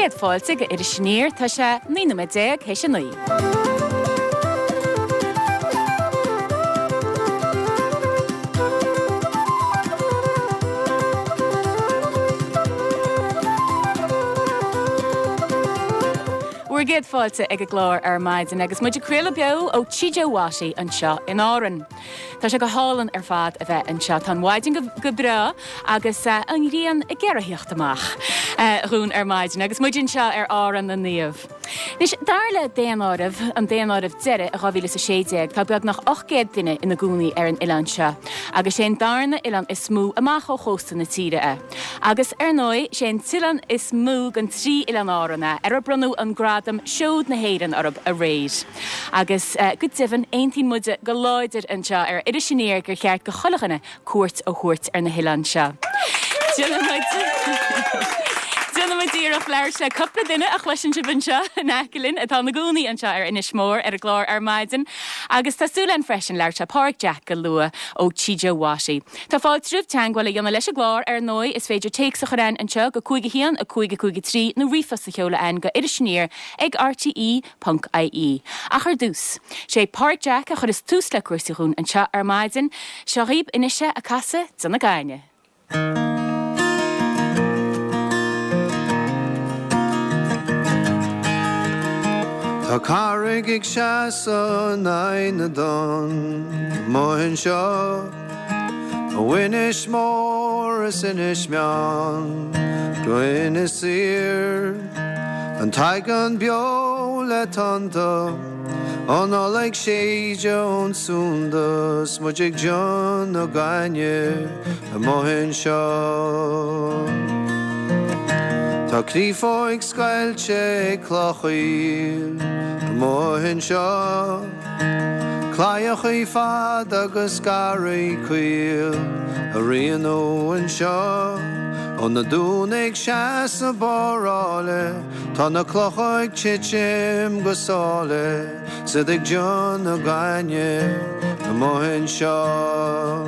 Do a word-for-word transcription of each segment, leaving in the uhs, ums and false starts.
Céad fáilte go Iris Aniar tá sé naoi nóiméad déag théis a naoi. Bhur gcéad fáilte ag an gclár ar maidin agus muid ag craoladh beo ó Tí Joe Watty anseo in Árainn. Tá sé go hálainn ar fad a bheith anseo Tá an mhaidin go, go breá agus uh, an ghrian ag iarraidh theacht amach uh, dhúinn ar maidin agus muid anseo ar Árainn na Naomh. Anois dar le daonáireamh an daonáireamh deiridh i dhá mhíle is a sé déag tá beagnach ocht gcéad duine ina gcónaí ar an oileán seo, agus sé an darna oileán is mó amach ó chósta na tíre é. Agus ar ndóigh sé an t-oileán is mó den trí oileán Árann é ar a bronnadh an gradam Seod na hÉireann orthu aréir. Agus uh, go deimhin aontaíonn muide go láidir anseo ar Iris Aniar gur cheart go chuile dhuine cuairt a thabhairt ar na hoileáin seo. Déanfaidh muid iarracht labhairt le cúpla duine a chloiseann sibh anseo in aice linn atá ina gcónaí anseo ar Inis Mór ar an gclár ar maidin, agus tá súil againn freisin labhairt le Páraic Jack go luath ó Tí Joe Watty. Tá fáilte romhaibh teagmháil a dhéanamh leis an gclár ar ndóigh is féidir téacs a chur chugainn anseo go cúig a haon a cúig a cúig a trí nó ríomhphost a sheoladh chugainn go irisaniar ag rte ponc ie. Ach ar dtús, sé Páraic Jack a chuireas tús le cúrsaí dhúinn anseo ar maidin, seo dhaoibh anois é ag casadh Déanamh Gainne. Tá carraig ag seasamh in aghaidh na dtonn amuigh anseo Ó Inis Mór is Inis Meáin go Inis Oírr An t-aigéan beo le tonnta An ola ag séideadh ón Sunda 's muid ag déanamh gainne amuigh anseo. Tá créafóig scoilte ag Cloch Aoil amuigh anseo, Claíochaí fada agus garraí caol a rianú anseo, Ó na dúna ag seasamh barr áille, Tá na clocha ag titim go sáile, 's iad ag déanamh gainne amuigh anseo.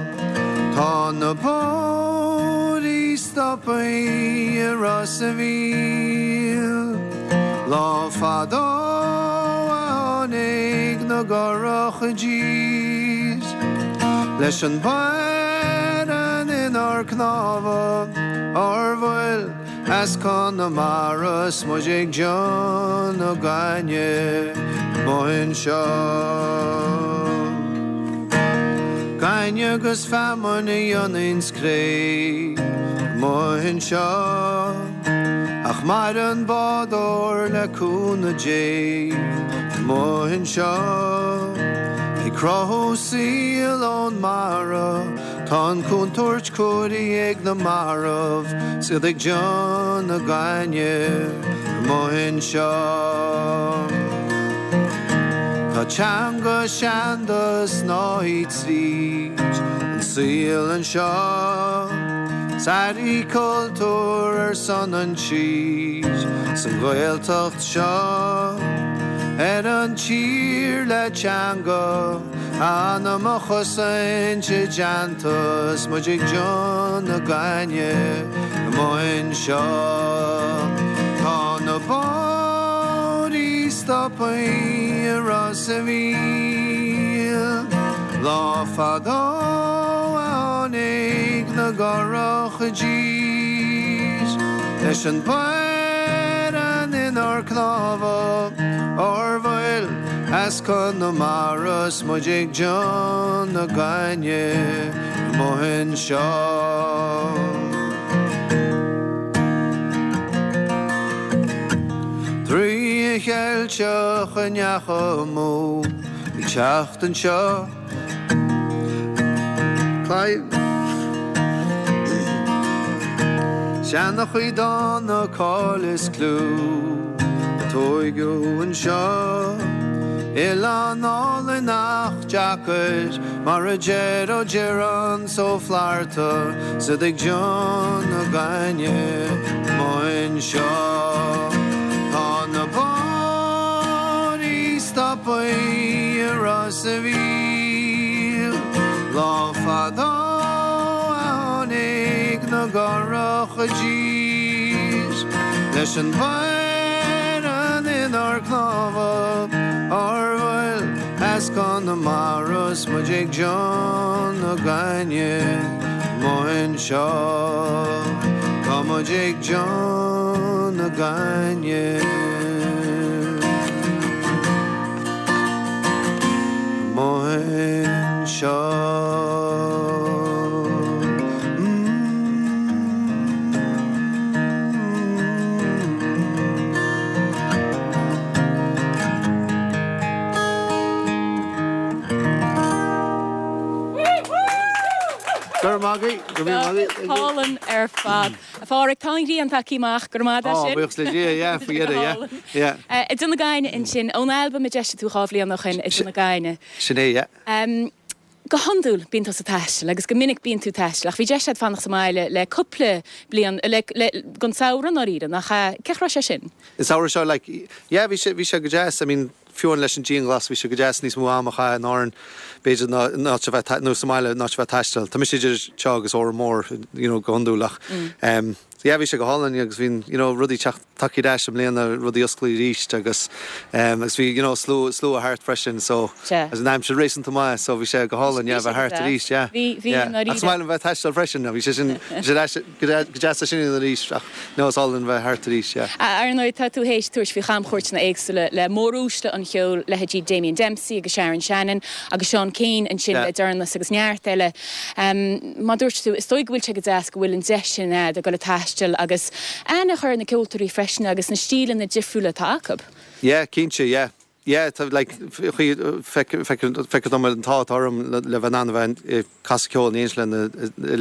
Tá na bádaí stoptha i Ros a' Mhíl, Lá fadó a tháinig na gcurach i dtír, Leis an bhfearann inár cnámha ár bhfuil as Conamara 's muid ag déanamh gainne amuigh anseo. Gainne agus feamainn a dhéananns cré amuigh anseo, Ach maireann bádóir le cúnamh Dé amuigh anseo. Ag cruthú saoil ón mara, Tá an chontúirt curtha ag na mairbh, 's iad ag déanamh gainne amuigh anseo. Tá teanga seanda snáithe tríd an saol anseo, 's airí cultúir ar son an tír san Ghaeltacht seo. Ar an tír le teanga anam a chosaint i dteannta 's muid ag déanamh gainne amuigh anseo. Tá na bádaí stoptha i Ros a' Mhíl, Lá fadó a tháinig na gcurach i dtír, Leis an bhfearann inár cnámha ár bhfuil as Conamara 's muid ag déanamh gainne amuigh anseo. Draoi Cheilteach a ndeachaigh amú ag teacht anseo. Claidheamh. Seanchaí dána cáil is clú a tóigeadh anseo. Oileán álainn ach deacair mar a deir Ó Direáin 's Ó Flatharta 's iad ag déanamh gainne amuigh anseo. Tá na bádaí stoptha i Ros a' Mhíl, Lá fadó a tháinig na gcurach i dtír, Leis an bhfearann inár gcnámha ár bhfuil as Conamara 's muid ag déanamh gainne amuigh anseo Tá muid ag déanamh gainne amuigh anseo. Go raibh maith agaibh, go raibh maith agaibh. Álainn ar fad. A Pháraic, tá an ghrian tagtha amach, go raibh maith agat as Ó, sin. buíochas le Dia, yeah, faoi dheireadh, yeah, yeah. Ag déanamh gainne ansin, ón albam a d'eisigh tú dhá bhliain ó shin, Ag Déanamh Gainne. Sin é, yeah. Go hiondúil bíonn tusa ag taisteal agus go minic bíonn tú ag taisteal ach bhí deis agat fanacht sa mbaile le cúpla bliain, le, le, don samhradh i ndáiríre, nach ea? Cén chaoi a raibh sé sin? An samhradh seo, like, yeah, bhí sé, bhí sé go deas, I mean, fiú amháin leis an dianghlas, bhí sé go deas níos mó ama a chaitheamh in Árainn, b'fhéidir, ná, ná a bheith, nó sa mbaile, ná a bheith ag taisteal. Tá mise idir seo agus Órán Mór, you know, go hiondúil ach, em, yeah, bhí sé go hálainn agus bhí, you know, rudaí teacht tagtha ar ais i mbliana, rudaí osclaithe arís agus em agus bhí, you know, slua, slua thart freisin so Sea. agus an aimsir réasúnta maith so bhí sé go hálainn, yeah, Bhí sé bheith thart go deas. arís, yeah. Bhí, bhí Yeah. i ndáiríre. Ach is maith liom bheith ag taisteal freisin, bhí sé sin, bhí sé deas, go deas, go deas é sin arís ach no, is álainn bheith thart arís, yeah. Ar ndóigh, tá tú théis tabhairt faoi chamchuairteanna éagsúla le móruaisle an cheoil, leithéidí Damien Dempsey agus Sharon Shannon agus Seán Keane ansin Yeah. le deireanas agus neart eile. Um, mar dúirt tú, is dóigh go bhfuil sé go deas go bhfuil an deis sin agat a dhul ag taisteal agus aithne a chur ar na ceoltóirí freisin agus na stíleanna difriúla atá acu. Yeah, cinnte, yeah. Yeah, tá like feictear dom an t-ádh orm le le bheith in ann a bheith ag casadh ceoil in éineacht lena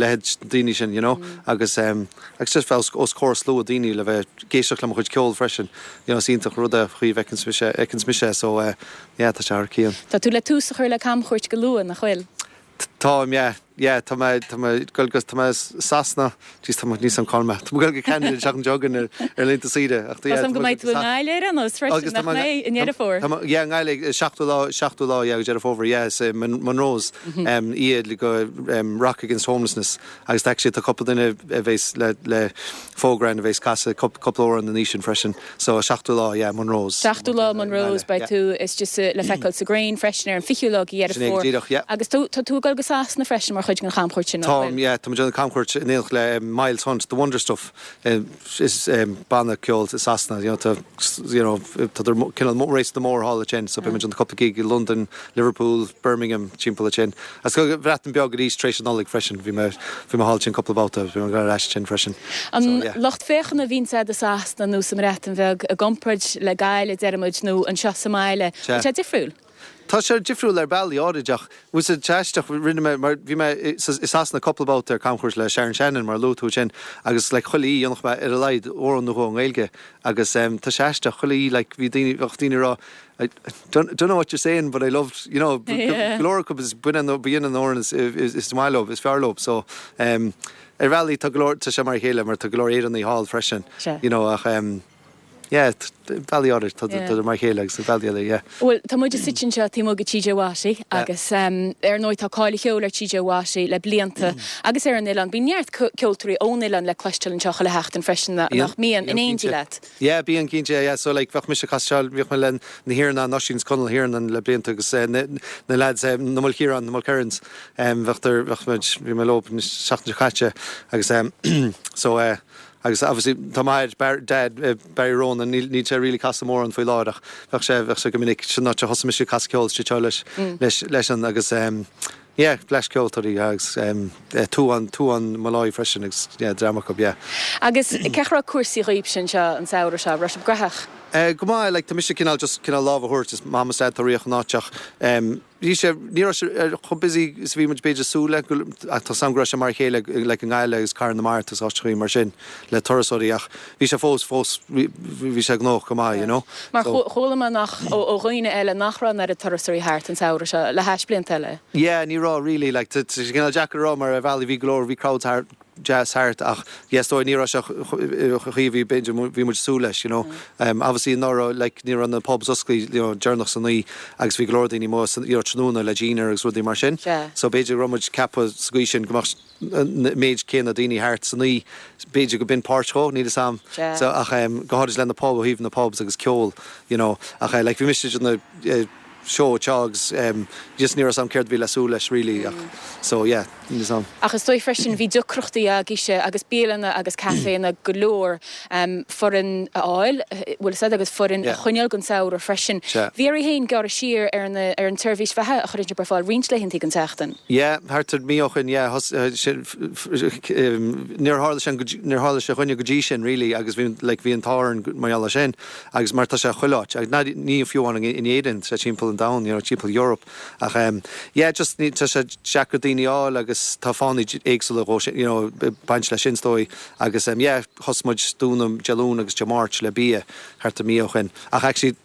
leithéid daoine sin, you know, agus um, agus just bheith os, os comhair slua daoine le bheith ag éisteacht le mo chuid ceoil freisin. You know, is iontach rud é chaoi bhfeiceann mise, fheiceann mise, so uh, yeah, tá sé thar cionn. Tá tú le tús a chur le camchuairt go luath, nach bhfuil? Táim, yeah, yeah, tá mé, tá mé, goil go, tá mé Sasana, jeez, tá mé níos am calma. Tá mé goil go Canada an tseachtain seo chugainn ar, ar laethanta saoire. Ach Tá go mbeidh tú i nGaillimh ar aon nós freisin, nach mbeidh i nDeireadh Fómhair. Tá mé, yeah, nGaillimh, seachtú lá, seachtú lá, yeah, Deireadh Fómhair, yeah, is, eh, Mon- Monroe's, um, iad le go, um, Rock Against Homelessness. Agus tá actually tá cúpla duine a bheas le, le fógra a bheas casadh cúpla amhrán an oíche sin freisin. So seachtú lá, yeah, Monroe's. Seachtú lá Monroe's beidh Yeah. tú is just le feiceáil sa Grain freisin ar an fichiú lá de Dheireadh Sin é go Fómhair. díreach, yeah. Agus tú tá tú ag dul go Sasana freisin mar chuid den chamchuairt sin. nach Táim, bhfuil? yeah, tá mé déanamh camchuairt in éineacht le um, Miles Hunt, The Wonder Stuff, um, is um, banna ceoil i Sasana, you know, tá, you know, tá cineál réasúnta mór thall ansin, so beidh muid déanamh cúpla gig i London, Liverpool, Birmingham, timpeall ansin. Agus go Bhreatain Bheag arís tar éis an Nollaig freisin, bhí mé bhí mé thall sin cúpla babhta, bhí mé ar ais sin freisin. An So, yeah. lucht féachana a bhíonn i Sasana nó sa mBreatain Bheag i gcomparáid le Gaillimh deirimid nó anseo sa mbaile, Sea. Tá sé difriúil. Tá sé difriúil ar bhealaí áirid ach bhí sé aisteach rinne mé mar bhí mé i i Sasana cúpla babhta ar camchuairt le Sharon Shannon mar luaigh tú sin agus le chuile oíche dhéanfadh mé ar a laghad amhrán nó dhó i nGaeilge agus um, tá sé aisteach chuile oíche like, bhí daoine bheadh daoine rá I don't, don't know what you're saying but I loved you know Yeah. go leor acu is b'in b'in an amhrán is, is, is maith leo is fearr leo so um, ar bhealaí tá go leor tá sé mar a chéile mar tá go leor Éireannaigh thall freisin Sea. you know ach um, yeah bealaí áirid tá Yeah. tá mar a chéile agus bealaí eile yeah. Well, tá muid suite anseo taobh amuigh de TJ Watty agus um, ar ndóigh tá cáil an cheoil ar TJ Watty le blianta agus ar an oileán bíonn neart ceoltóirí ón oileán le cloisteáil anseo chuile sheachtain freisin nach mbíonn in éindí leat. Yeah, bíonn cinnte, yeah, so like bheadh mise ag casadh bhíodh mé le na Hiarna Oisín Conall Hiarnan le blianta agus eh, na na lads eh, na Mulchiran na Mulkerrins um, bheadh bheadh muid bhí mé leo an seachtain seo caite agus um, so uh, agus obviously tá m'athair Bar Dad uh, Barry Ronan níl níl sé really casadh mórán faoi láthair ach bheadh sé bheadh sé go minic sin ná thosaigh mise casadh ceol sé leis leis leis an agus um, yeah, leis ceoltóirí agus um, eh, Tuan Tuan Malloy freisin agus yeah, dream acu, yeah. Agus cén chaoi a raibh cúrsaí dhaoibh anseo an samhradh seo, raibh sibh gnóthach. Uh, go maith like, tá mise cineál just cineál lámh a thabhairt is mam is dad tá ríoch an áiteach. Um, Bhí sé ní raibh sé ar chomh busy is bhí muid b'fhéidir súil le tá sam go raibh sé mar a chéile le an nGaillimh agus Cathair na Mart is áiteacha mar sin le turasóirí ach bhí sé fós fós bhí sé gnóthach go maith, you know. Mar chuala mé nach ó ó dhaoine eile nach raibh na turasóirí thart an samhradh seo le hais blianta eile. Yeah, ní raibh really like cineál deacair rá mar ar bhealaí bhí go leor bhí crowds thart deas thart ach yes dóigh ní raibh sé chaoi bhí b'fhéidir bhí muid súil leis you know um, obviously anuraidh like ní raibh na pubs oscailte you know deireanach san oíche agus bhí go leor daoine amuigh you know tráthnóna le dinner agus rudaí mar sin Sea. so b'fhéidir raibh muid ceaptha sa gcaoi sin go mbeadh an méid céanna daoine thart san oíche b'fhéidir go b'in páirt dhó níl a fhios agam Sea. so ach um, go háirid le na pub ó thaobh na pubs agus ceol you know ach uh, like bhí mise na uh, show agus um, just ní raibh a fhios agam céard bhí le súil leis really ach so yeah níl a fhios agam. Ach is dóigh freisin bhí deacrachtaí agaibhse agus bialanna agus caiféanna go leor um, foireann a fháil bhfuil siad agus foireann Yeah. a choinneáil don samhradh freisin. Sea. Bhí oraibh féin gearradh siar ar na ar an tseirbhís bheatha a chuireann sibh ar fáil roinnt laethanta den tseachtain. Yeah, thart ar mí ó shin yeah, hos, uh, sin, f- f- um, níor tharla sin go dtí- níor tharla sé chugainne go dtí sin really agus bhí like, bhí an t-ádh mar gheall sin agus mar tá sé chuile áit agus ná ní fiú in in Éirinn sé timpeall an domhain you know, timpeall Europe ach um, yeah, just ní tá sé deacair daoine a fháil agus tá fáthanna éagsúla dhó sin, you know, baint leis sin is dóigh agus um, yeah, thosaigh muid dúnadh Dé Luain agus Dé Máirt le bia thart ar mí ó shin ach actually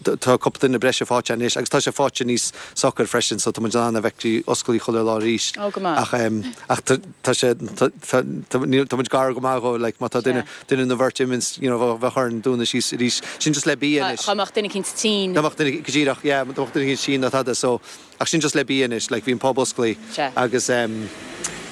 tá cúpla duine breise faighte anois agus tá sé faighte níos socair freisin so tá muid in ann a bheith oscailte chuile lá arís. Ó, go maith. Ach um, ach tá tá sé tá tá tá tá muid gar go maith dhó like má tá duine duine nó beirt imithe you know bheadh orainn dúnadh síos arís sin just le bia anois. Dá mbeadh duine éicint tinn. Dá mbeadh duine go díreach yeah, dá mbeadh duine éicint tinn nó tada so ach sin just le bia anois like bhí an pub oscailte Sea. agus um,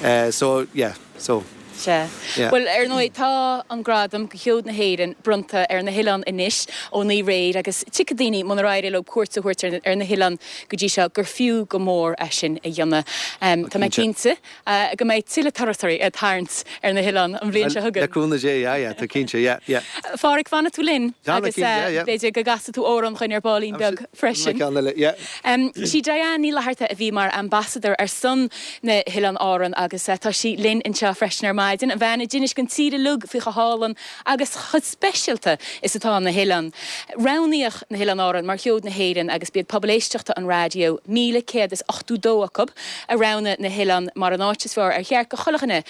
uh, so yeah so Se. Yeah. Well ar ndóigh tá an gradam go sheod na hÉireann bronnta ar na hoileáin anois ó naoi réir agus tuigfidh daoine munar éirigh leo cuairt a thabhairt ar, ar na hoileáin go dtí seo gur fiú go mór é sin a dhéanamh. Um, tá mé cinnte uh, go mbeidh tuilleadh turasóirí ag tarraingt ar na hoileáin an bhliain seo Le chugainn. cúnamh Dé yeah, yeah, tá cinnte yeah, yeah. Phádraig fanfaidh tú linn Ja, agus cinnte, yeah, yeah. b'fhéidir go gcasfaidh tú amhrán dúinn ar ball beag freisin. Ceann eile, yeah. Um, sí Diane Ní Fhlatharta a bhí mar ambassador ar son na hOileáin Árann agus uh, tá sí linn anseo freisin ar maidin, an bhean a d'inis don tír uilig faoi chomh hálainn agus chomh speisialta is atá na hoileáin. Roghnaíodh na hOileáin Árann mar sheod na hÉireann agus b'iad pobal éisteachta an raidió míle céad is ochtó dó acu a roghnaigh na hoileáin mar an áit is fearr ar cheart go chuile dhuine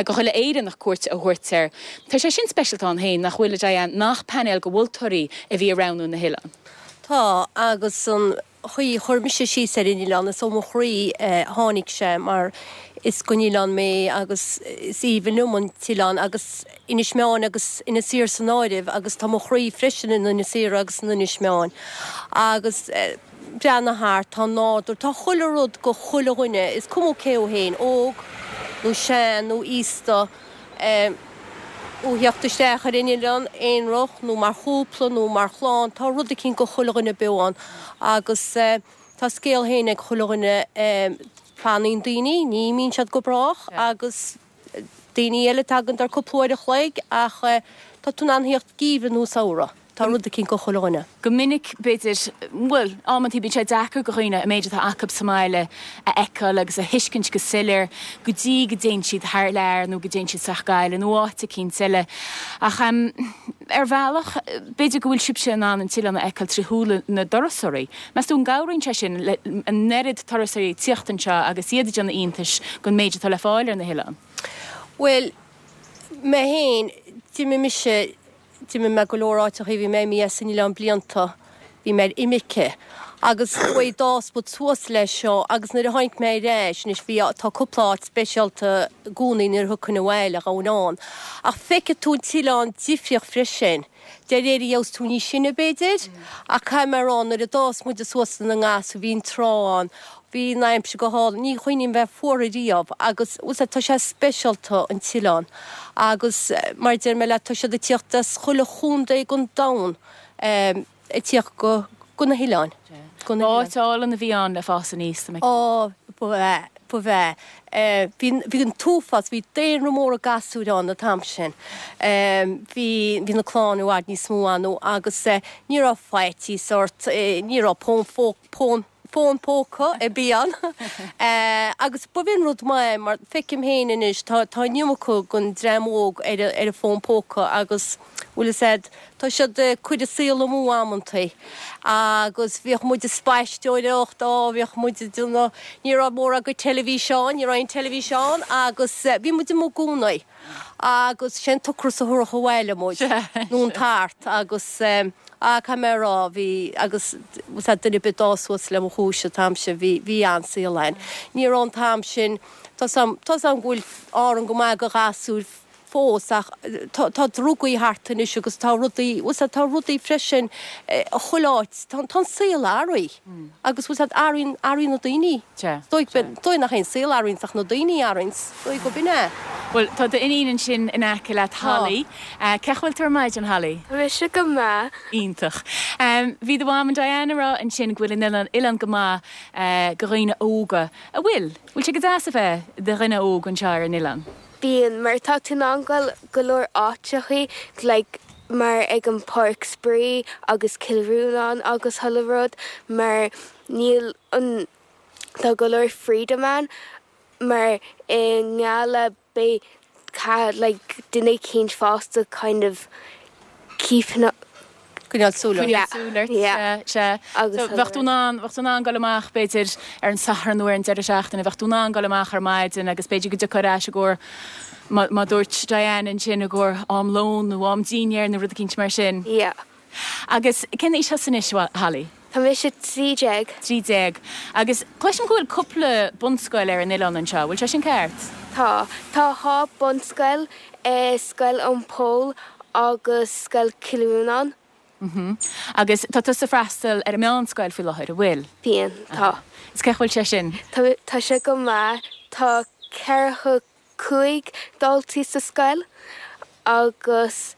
go chuile Éireannach cuairt a thabhairt air. Tá sé sin speisialta ann féin nach bhfuil Diane nach painéal de mholtóirí a bhí ag roghnú na hoileáin. Tá agus an chaoi chuir mise síos ar an oileán is ó mo chroí eh, tháinig sé mar is gon oileán mé agus is aoibhinn liom an t-oileán agus Inis Meáin agus Inis Oírr san áireamh agus tá mo chroí freisin in Inis Oírr agus in Inis Meáin. Agus eh, breathnaigh thart tá nádúr tá chuile rud go chuile dhuine is cuma cé thú féin óg nó sean nó aosta eh, ó theacht isteach ar an oileán aonarach nó mar chúpla nó mar chlann tá rud éicint go chuile dhuine beo ann agus eh, tá scéal féin ag chuile dhuine eh, fanann daoine ní imíonn siad go brách agus daoine eile tagann ar cúpla uair a chloig ach eh, tá tú in ann theacht geimhreadh nó samhradh Tá rud éicint go chuile dhuine. Go minic b'fhéidir bhuel amantaí bíonn sé deacair do dhaoine an méid atá acu sa mbaile a fheiceáil agus a thuiscint go soiléir go dtí go dtéann siad thar lear nó go dtéann siad sa Ghaillimh nó áit éicint eile. Ach um, ar bhealach b'fhéidir go bhfuil sibhse in ann an t-oileán a fheiceáil trí shúile na dturasóirí. Meas tú an gcabhraíonn sé sin le an oiread turasóirí tíocht anseo agus iad ag déanamh iontais den méid atá le fáil ar na hoileáin. Well mé féin d'imigh mise d'imigh mé go leor áiteacha bhí mé imithe as an oileán blianta bhí mé imithe. Agus chuaigh d'fhás muid suas leis seo agus nuair a tháinig mé ar ais anois bhí tá cúpla áit speisialta i gcónaí nuair a thiocfainn abhaile a ghabhann ann. Ach feiceann tú an t-oileán difríoch freisin. De réir a tú níos sine b'fhéidir, ach caithfidh mé a rá nuair a d'fhás muid suas na ngas bhí an trá ann, bhí an aimsir go hálainn, ní chuimhním bheith fuar riamh agus tá sé speisialta an t-oileán. Agus mar deir mé le tá siad ag tíocht as chuile chontae den domhan ag tíocht go go na hoileáin. Áit álainn a bhí ann le fás aníos Á ba ba bheith. Bhí an t-uafás, bhí daonra mór gasúir ann an t-am sin. Bhí bhí na clanna i bhfad níos mó ann agus ní raibh faitíos ort, ní raibh fón fón fón póca ar bith ann. Agus ba bhíonn rud maith mar feicim féin anois tá tá an iomarca den dream óg ar ar a fón póca agus bhfuil a fhios agat tá siad cuid a saol amú amantaí. Agus bhíodh muid ag spaisteoireacht á bhíodh muid ag déanamh ní raibh mórán go teilifíseán, ní raibh aon teilifíseán agus bhí muid amuigh i gcónaí. Agus sé an t-ocras a thabharfadh abhaile muid nó an tart agus Ah, caithfidh mé a rá, bhí, agus bhfuil a fhios a'd, duine ar bith a d'fhás suas le mo chúis an t-am sin, bhí, bhí an-saol ann. Ní raibh an t-am sin, tá 's a'm, tá 's a'm go bhfuil Árainn go maith do ghasúir fós ach tá, tá drugaí thart anois agus tá rudaí, bhfuil a fhios a'd, tá rudaí freisin chuile áit, tá, tá an saol athraithe agus bhfuil a fhios a'd, athraíonn, athraíonn na daoine. Sea, Is dóigh, sea. dóigh nach é an saol a athraíonns ach na daoine a athraíonns, dóigh go b'in é. Bhuel, tá d'iníon ansin in aice leat, Tá. Holly. Cén chaoi a bhfuil tú ar maidin, Holly? Tá mise go maith. Iontach. Bhí do mham, Diane, ag rá ansin go bhfuil an oileán go maith do dhaoine óga. An bhfuil? Bhfuil sé go deas a bheith i do dhuine óg anseo ar an oileán? Bíonn, mar tá tú in ann goil go leor áiteachaí, like mar ag an páirc spraoi agus Cill Rónáin agus chuile rud, mar níl an, tá go leor freedom ann, mar i nGaillimh beidh ca- like duine eicínt fásta kind of keeping up. Coinneáil súil ort. Coinneáil súil ort, sea, sea. So bheadh tú in ann, bheadh tú in ann dul amach b'fhéidir ar an Satharn nó ar an deireadh seachtaine, bheadh tú in ann dul amach ar maidin agus b'fhéidir go dtiocfá ar ais i gcomhair, mar a dúirt Diane ansin, i gcomhair am lóin nó am dinnéir nó rud eicínt mar sin. Yeah. Agus cén aois thusa anois, Holly? Tá mise trí déag. Trí déag. Agus cloisim go bhfuil cúpla bunscoil ar an oileán anseo, bhfuil sé sin ceart? Tá. Tá dhá bunscoil, Scoil an Phobail agus Scoil Chill Rónáin. Mhm. Agus tá tusa ag freastal ar an meánscoil faoi láthair, an bhfuil? Bíonn, tá. Is cén chaoi a bhfuil sé sin? Tá, tá sé go maith. Tá ceathracha cúig daltaí sa scoil agus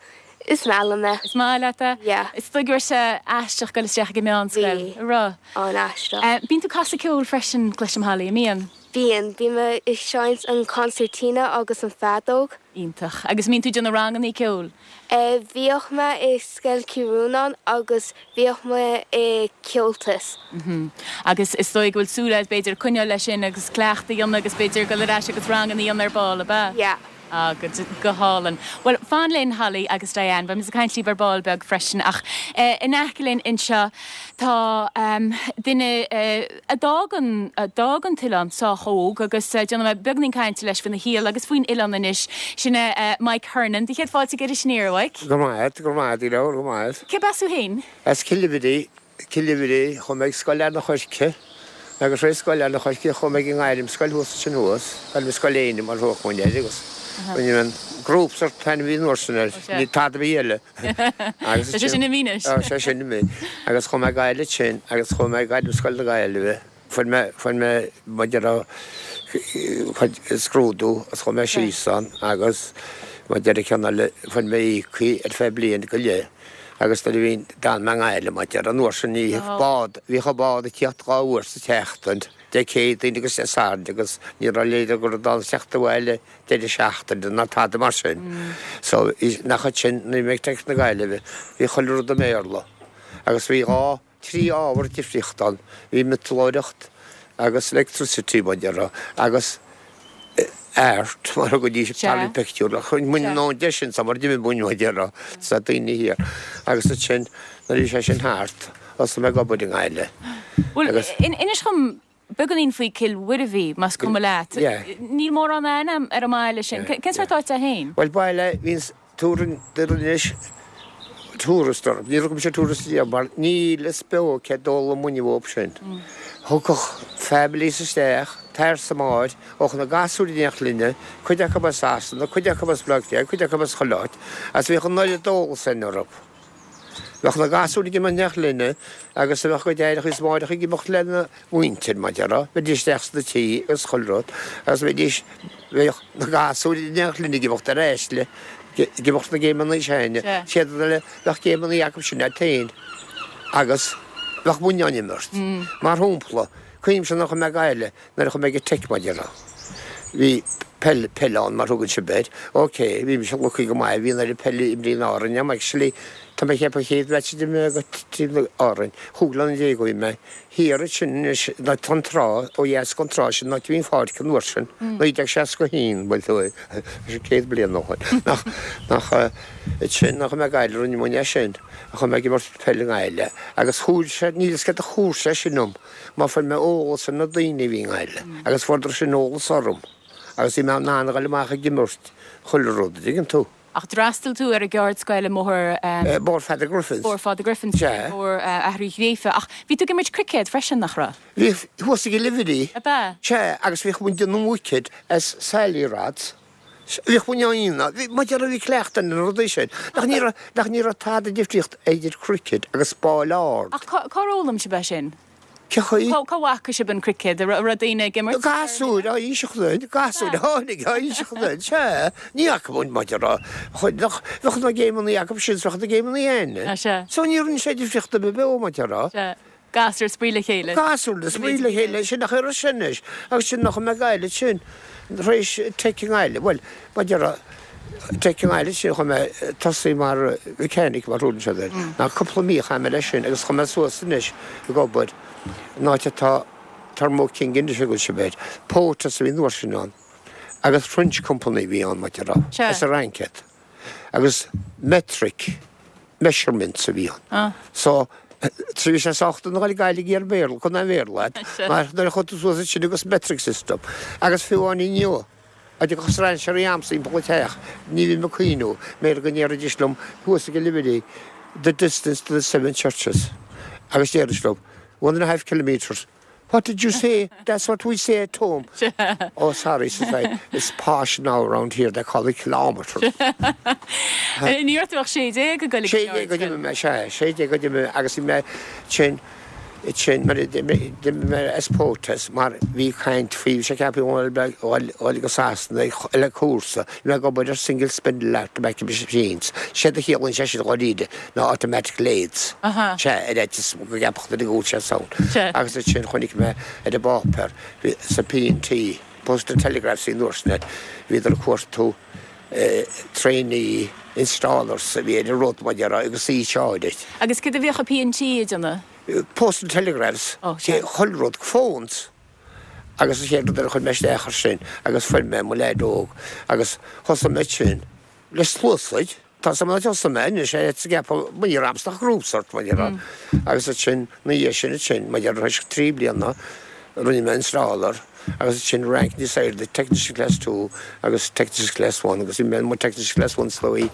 is maith liom é. Is maith leat é? Yeah. Is dóigh go raibh sé aisteach dul isteach ag an meánscoil, Bhí. an raibh? An-aisteach. Bíonn tú ag casadh ceoil freisin, cloisim, Holly, an mbíonn? Bíonn. Bím ag seinnt an concertina agus an feadóg. Iontach. Agus an mbíonn tú ag déanamh rangannaí ceoil? Bhíodh mé i Scoil Chill Rónáin agus bhíodh mé i Comhaltas. Agus is dóigh go bhfuil súil agat b'fhéidir coinneáil leis sin agus cleachtadh a dhéanamh agus b'fhéidir dul ar ais agus ranganna a dhéanamh ar ball, ab ea? Yeah. Ah, go, go hálainn. Bhuel, fan linn, Holly agus Diane, beimid ag caint libh ar ball beag freisin ach in aice linn anseo tá duine a d'fhág an, a d'fhág an t-oileán sách óg agus déanfaidh mé beagáinín cainte leis faoina shaol agus faoin oileán anois. Sin é Mike Hernon. Do chéad fáilte go Iris Aniar, a Mhike. Go raibh maith agat, go raibh maith agat, a Laura, go raibh maith agat. Cé as thú féin? As Cill Mhirí, Cill Mhirí, chuaigh mé ag Scoil Fhear na Coirce agus tar éis Scoil Fhear na Coirce chuaigh mé ag an nGairmscoil thuas ansin thuas, Gairmscoil Éinne mar a thugadh muid air agus rinne mé an Groups an t-ainm a bhí an uair sin air, ní tada ar bith eile. Agus Tá sé sin imithe anois. Tá sé sin imithe. Agus chuaigh mé ag Gaillimh ansin agus chuaigh mé ag Gairmscoil na Gaillimhe. Fuair mé, fuair mé, mar a déarfá, chuid scrúdú agus chuaigh mé síos ann agus mar a déarfá ceann eile, fuair mé íoctha ar feadh bliain go leith. Agus nuair a bhí, d'fhan mé i nGaillimh, mar a déarfá, an uair sin ní bhíodh bád, bhíodh an bád ag tíocht dhá uair sa tseachtain, Dé Céadaoin agus Dé Sathairn agus ní raibh léir go raibh dul teacht abhaile deireadh seachtaine ná tada mar sin. So, nach ansin, nuair a bhí mé ag teacht na Gaillimhe, bhí chuile rud i mBéarla. Agus bhí dhá, trí ábhar difríocht ann, bhí miotalóireacht agus electricity, mar a déarfá, agus art, mar a thugaidís tarraingt pictiúr, ach chuir muid an deis sin sa mar d'imigh muid, mar a déarfá, sa daoine thiar. Agus ansin, nuair a bhí sé sin thart, thosaigh mé ag obair i nGaillimh. Bhuel, inis dhom beagáinín faoi Cill Mhuirbhigh, más cuma leat. Níl mórán aithne agam ar an mbaile sin. Cén sórt áit é féin? Bhuel, baile, bhíonns tuairim anois tourist orm. Níor thug mise tourist riamh mar níl fhios beo cé d'fhoghlaim muidne uathu sin. Thiocfadh families isteach, tar sa mbád, bheadh na gasúir in éineacht linne, cuid acu as Sasana, cuid acu as Baile Átha Cliath, cuid acu as chuile áit, agus bhíodh an oiread eolas againn orthu. Bheadh na gasúir ag imeacht in éineacht linne agus bheadh a gcuid aithreacha is máithreacha ag imeacht lena muintir, mar a déarfá, bheidís isteach sna tithe agus chuile rud agus bheidís, bheadh na gasúir in éineacht linn ag imeacht ar ais le, ag imeacht sna géimeanna is ea, siad eile, bheadh géimeanna acu sin iad féin agus bheadh muidne á n-imirt. Mar shampla, cuimhnimse nuair a chuaigh mé go Gaillimh, nuair a chuaigh mé ag an Tech mar a déarfá, bhí peil, peil ann mar thugann sibh air, ok, bhí mise lucky go maith, bhí an oiread peile imrithe in Árainn agam, actually, tá mé ag ceapadh an chéad match a d'imir mé do Tiobraid Árann, chúig bliana déag a bhí mé, thiar ansin anois, an áit an trá, ó dheas den trá sin, an áit a bhí an pháirc an uair sin, naoi déag seasca a haon, bhuel tú, sin céad bliain ó shin, nach, nach, ansin, nuair a chuaigh mé go Gaillimh, rinne muidne é sin, chuaigh mé ag imirt peil i nGaillimh, agus chuir sé, níl fhios céard a chuir sé sin iom, mar fuair mé eolas ar na daoine a bhí i nGaillimh, agus fuaireadar sin eolas orm, agus bhí mé in ann a dhul amach ag imirt chuile rud, an dtuigeann tú. Ach d'fhreastail tú ar an gceardscoil i mBóthar Bóthar Pheadar Griffin's. Bóthar Pheadar Griffin's, Bóthar Achadh Uí Ghríofa. Ach bhí tú ag imirt cruicéad freisin, nach raibh? Bhí, thuas ag Olivery. Ab ea? Sea, agus bhíodh muid ag déanamh wicket as Sally rods. Bhíodh muid á dhéanamh, bhí, mar a déarfá bhí cleachtadh ar na rudaí sin. Nach ní raibh, nach ní raibh tada difríocht idir cruicéad agus ball ard. Ach cá, cár fhoghlaim sibh é sin? Cé chaoi? Cá bhfaca sibh an cruicéad? An raibh daoine ag imirt? Gasúir á aoiseach gasúir tháinig á aoiseach sea, ní fhaca muid mar a déarfá nach bheadh na géimeanna acu sin bheadh na géimeanna againne. Sea. So ní rinne sé difríocht ar bith beo mar a déarfá. Sea. Gasúir spraoi le chéile. Gasúir le spraoi le chéile, sin nach raibh sin anois agus sin nach mbeidh Gaillimh sin tar éis Teic i nGaillimh, bhuel, mar a déarfá Teic i nGaillimh sin chuaigh mé tosaí mar mechanic mar thugann siad air. Ná cúpla mí a chaith mé leis sin agus chuaigh mé suas anois ag obair in áit atá Thermo King anois a bhfuil sibh air. Potas a bhí an uair sin ann agus French company a bhí ann mar a déarfá, as an Fhrainc iad. Agus metric measurements a bhí ann. So trí bhí sé sách don Ghaeilge Gaillimh ar Bhéarla, chun an Bhéarla agat, mar nuair a chuaigh tú suas ansin agus metric system. Agus fiú amháin inniu, a dtiocfadh strainséirí a'msa thimpeall an teach, ní bhím ag cuimhniú, m'fhéidir go ndéarfaidís liom thuas ag Olivery, the distance to the seven churches. Agus déarfaidís liom, one and a half kilometres. What did you say? That's what we say at home. Oh, sorry, says I, it's posh now around here, they call it kilometres. Ní raibh tú ach sé déag ag dul ag Sé déag go dtí mé, sea, sé déag go dtí mé, agus bhí mé sin, sin mar d'imigh mé as Potes mar bhí caint faoi, bhí sé ceaptha go dhul go Sasana le cúrsa, bhí mé ag obair ar single spindle automatic machines, séard a chiallaíonn sé sin dháiríre ná automatic lathes. Sea, ar fhaitíos go gceapfadh duine go bhfuil sé ann. Agus ansin chonaic mé ar an bpáipéar sa P and T, Post and Telegraph sa uair sin, bhíodar ag cuartú trainee installers a bhí ar an rud mar a déarfá agus í seo duit. Agus céard a bhíodh an P and T ag déanamh? Post and Telegraphs, chuile rud, phones. Agus an chéad rud eile chuir mé isteach air sin agus fuair mé mo leaid óg agus thosaigh mé sin le sluasaid. Tá sa mná thosaigh mé anois é sa gceapadh mo ní raibh ach grúpsa ort mar a déarfá. Agus ansin na dhiaidh sin ansin mar a déarfá tar éis trí bliana rinne mé installer agus ansin rank níos airde technician class two agus technician class one agus bhí mé i mo technician class one sa dóigh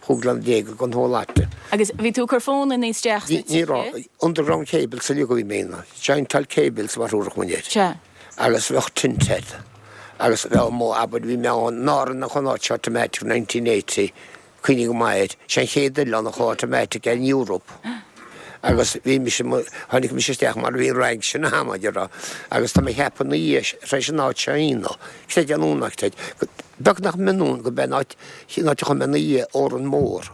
chúig bliana déag den whole lot. Agus bhí tú ag cur fónanna isteach sna Ní raibh underground cables uilig a bhí mé ina, jointáil cables mar thabharfadh muid air. Sea. Agus bheadh tinted agus bheadh mo abair bhí mé ann Árainn a chun áit automatic nineteen eighty cuimhnigh go maith air, sé an chéad oileán a chuaigh automatic in Europe. Agus bhí mise, tháinig mise isteach mar bhí an rank sin a'm a déarfá, agus tá mé ag ceapadh ina dhiaidh, tar éis an áit seo a dhéanamh, creid é nó ná creid, beagnach mionnún go b'é an áit, an áit a chuaigh mé ina dhiaidh, Órán Mór.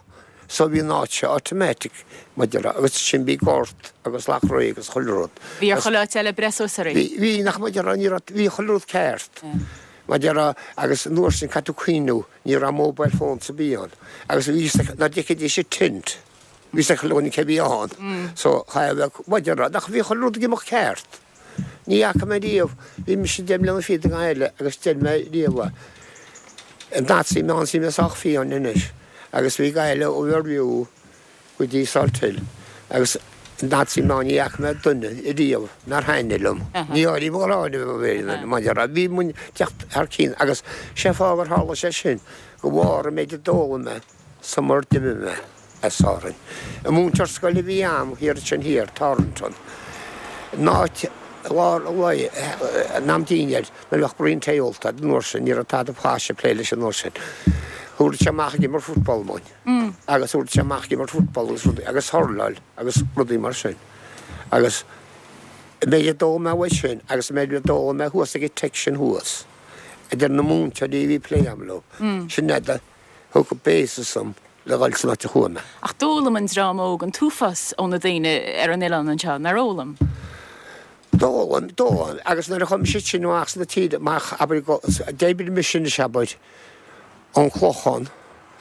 So bhí an áit seo automatic, mar a déarfá, agus sin bhí Gort agus Loughrea agus chuile rud. Bhí ar chuile áit eile breith suas uirthi. Bhí, bhí, nach mar a déarfá, ní raibh, bhí chuile rud ceart. Mar a déarfá, agus an uair sin caithfidh tú cuimhniú, ní raibh mobile phones ar bith ann. Agus bhí, ná d'fheicfidís an tint. Bhí sé chuile dhuine cé bhí ann. So chaith a bheith, mar a déarfá, nach bhí chuile rud ag imeacht ceart. Ní fhaca mé riamh, bhí mise deich mbliana fichead i nGaillimh agus deir mé riamh é. An Nazi mé ann, bhí mé sách fiáin anois. Agus bhí Gaillimh ó Bhearlú go dtí Salthill. Agus an Nazi mé ann, ní fhaca mé duine riamh nár thaitnigh liom. Ní áirím a ghrá liom, mar a déarfá, bhí muid teacht thar cinn agus sé fáth gur tharla sé sin, go bharr an méid a d'fhoghlaim mé sumar d'imigh mé as Árainn. An múinteoir scoile a bhí a'm thiar ansin thiar, Torrington. In áit lár an lae, in am dinnéir, nuair a bheadh braon tae ólta an uair sin, ní raibh tada posh ag plé leis an uair sin. Thabharfadh sé amach ag imirt football muinn. Agus thabharfadh sé amach ag imirt football agus rudaí, agus hurláil agus rudaí mar sin. Agus an méid a d'fhoghlaim mé uaidh sin agus an méid a d'fhoghlaim mé thuas ag an teic sin thuas, idir na múinteoirí a bhí ag plé a'm leo, sin é a thug basis dom le dhul san áit a chuaigh mé. Ach d'fhoghlaim an dream óg an t-uafás ó na daoine ar an oileán anseo, nár fhoghlaim? D'fhoghlaim, d'fhoghlaim, agus nuair a chuaigh mise sin amach sna tíre, amach, abair, go, d'oibrigh mise anois, abair, ón Chlochán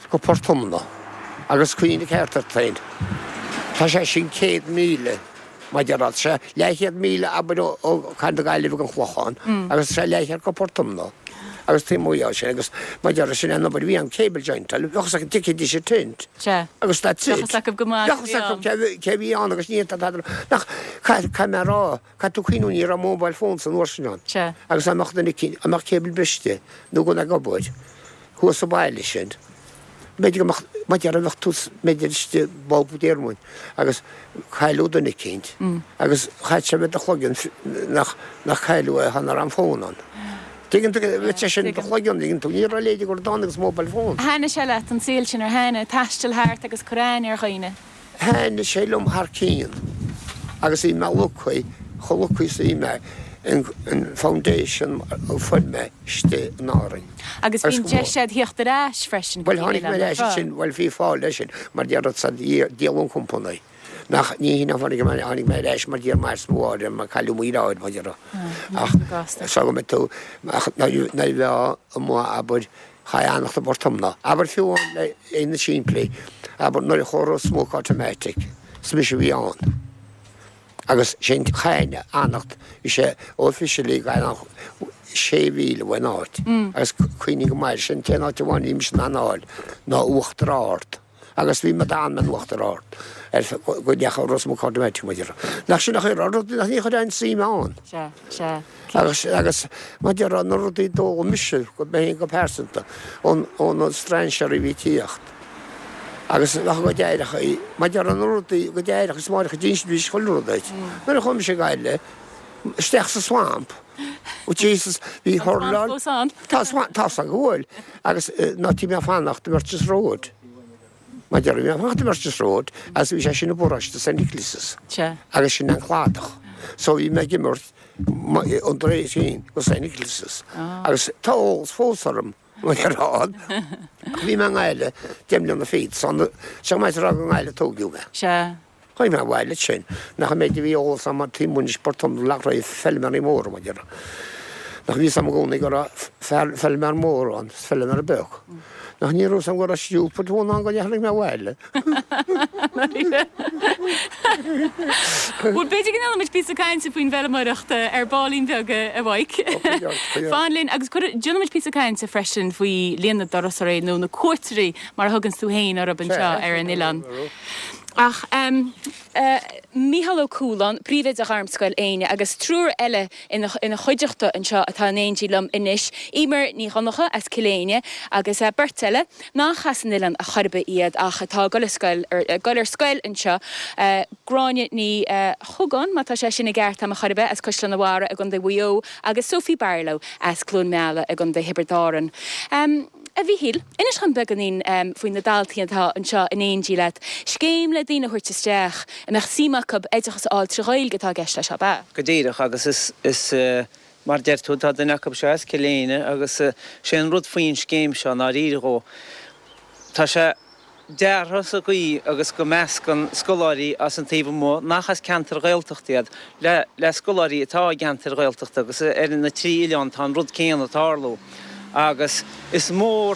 go Portumna, agus cuimhnigh ceart ort féin, tá sé sin céad míle, mar a déarfá, tá sé leathchéad míle, abair, ó, ó Cathair na Gaillimhe go an Chlochán, agus tá sé leathchéad go Portumna, agus taobh amuigh de sin, agus mar a déarfá, sin é an obair a bhí ann, cable jointáil, bheadh fhios acu, d'fheicfidís an tint, Sea. agus that's it. Bheadh fhios acu go maith Bheadh fhios acu cé bhí, cé bhí ann agus ní tada, nach, caithfidh, caithfidh mé a rá, caithfidh tú cuimhniú ní raibh mobile phones an uair sin ann. Sea. Agus dá mbeadh duine eicínt, dá mbeadh cable briste nó gan ag obair thuas sa bhaile sin, B'fhéidir go mbeadh, má déarfá bheadh tús, b'fhéidir istigh i bpub Diarmuid agus cailleadh duine eicínt agus chaith sé bheith do chloigeann nach, nach cailleadh é chan raibh an fón ann. Tuigeann tú, bheadh sé sin i do chloigeann, tuigeann tú, ní raibh leithéid de rud ann agus mobile phone. Thaitnigh sé leat an saol sin ar thaitnigh, taisteal thart agus cur aithne ar dhaoine? Thaitnigh sé liom thar cionn agus bhí mé lucky, chomh lucky is a bhí mé an foundation a fuair mé istigh in Árainn. Agus bhí an deis agat theacht ar ais freisin go dtí an oileán, nach raibh? Bhuel tháinig mé ar ais ansin, bhuel bhí fáil leis sin mar déarfadh said díoladh an company. Nach ní hin a tháinig mé, tháinig mé ar ais mar d'iarr m'athair is mo mháthair orm mar cailleadh mo dheartháir mar déarfá. Ach so go mbeidh tú, ach nuair a bheifeá amuigh abair, chaithfeá fanacht i bPort Omna. Abair fiú amháin le aon simplí, abair nuair a chuaigh Ros Muc automatic, is mise a bhí ann. Agus sin chaithfinn fanacht, bhí sé officially gan sé mhíle uain áit. Agus cuimhnigh go maith air sin, an t-aon áit amháin a bhí mise in ann a fháil ná Uachtar Ard. Agus bhí mé d'fhan mé in Uachtar Ard ar feadh go ndeachaigh Ros Muc automatic mar déarfá. Nach sin a chuir rud, nach ní chuir aon suim ann. Sea, sea. Agus, agus mar déarfá na rudaí a d'fhoghlaim mise, go mé féin go pearsanta, ón, ó na strainséirí a bhí ag tíocht. Agus nach go díreach, mar déarfá na rudaí go díreach is máireach a d'insídís chuile rud duit. Nuair a chuaigh mise ag Gaillimh, isteach sa swamp, oh Jesus, bhí Tá an swamp fós ann. Tá swamp, tá san go bhfuil. Agus ná tí mé fanacht i Merchants Road. Mar déarfá bhí mé fanacht i Merchants Road agus bhí sé sin i bparóiste St Nicholas's. Sea. Agus sin an cladach. So bhí mé ag imirt an dréir sin go St Nicholas's. Agus tá eolas fós orm mar déarfá. Ach bhí mé i nGaillimh deich mbliana fichead. So sé maith a rá gur i nGaillimh a tógadh mé. Sea. Chuaigh mé abhaile ansin. Nach an méid a bhí eolas agam mar taobh amuigh anois Port Omna nach raibh feilméaraí móra mar déarfá. Nach bhí fhios agam i gcónaí go raibh feilméar mór ann is feilméar beag. Nach ní raibh fhios agam go raibh stupid one ann go ndeachaigh mé abhaile. Bhuel b'fhéidir go ndéanfaidh muid píosa cainte faoin bhfeilméaracht ar baillín beag a Mhaidhc. Fan linn agus déanfaidh muid píosa cainte freisin faoi líon na dturasóirí nó na cuairteoirí mar a thuganns tú féin orthu anseo ar an oileán. Ach Mícheál Ó Cualáin, Príomhoide Ghairmscoil Éinne agus triúr eile ina chuideachta anseo atá in éindí liom anois, Emer Ní Dhonncha as Cill Éinne agus beirt eile nach as an oileán ar chor ar bith iad ach atá ag dul ar scoil ag dul ar scoil anseo, Gráinne Ní Chogáin, má tá sé sin i gceart agam ar chor ar bith, as Caisleán an Bharraigh i gContae Mhaigh Eo agus Sophie Barlow as Cluain Meala i gContae Thiobraid Árann. A Mhíchíl, inis dhom beagáinín faoi na daltaí atá anseo in éindí leat. Scéim le daoine a thabhairt isteach a mbeadh suim acu oideachas a fháil trí Ghaeilge atá i gceist leis, ab ea? Go díreach, agus is, is, mar a deir tú, tá duine acu seo as Cill Éinne agus sé an rud faoin scéim seo, i ndáiríre dhó, tá sé, deartha sa gcaoi agus go meascann scoláirí as an taobh amuigh, nach as ceantair Ghaeltachta iad, le le scoláirí atá i gceantair Ghaeltachta agus ar na trí oileán tá an rud céanna ag tarlú agus is mór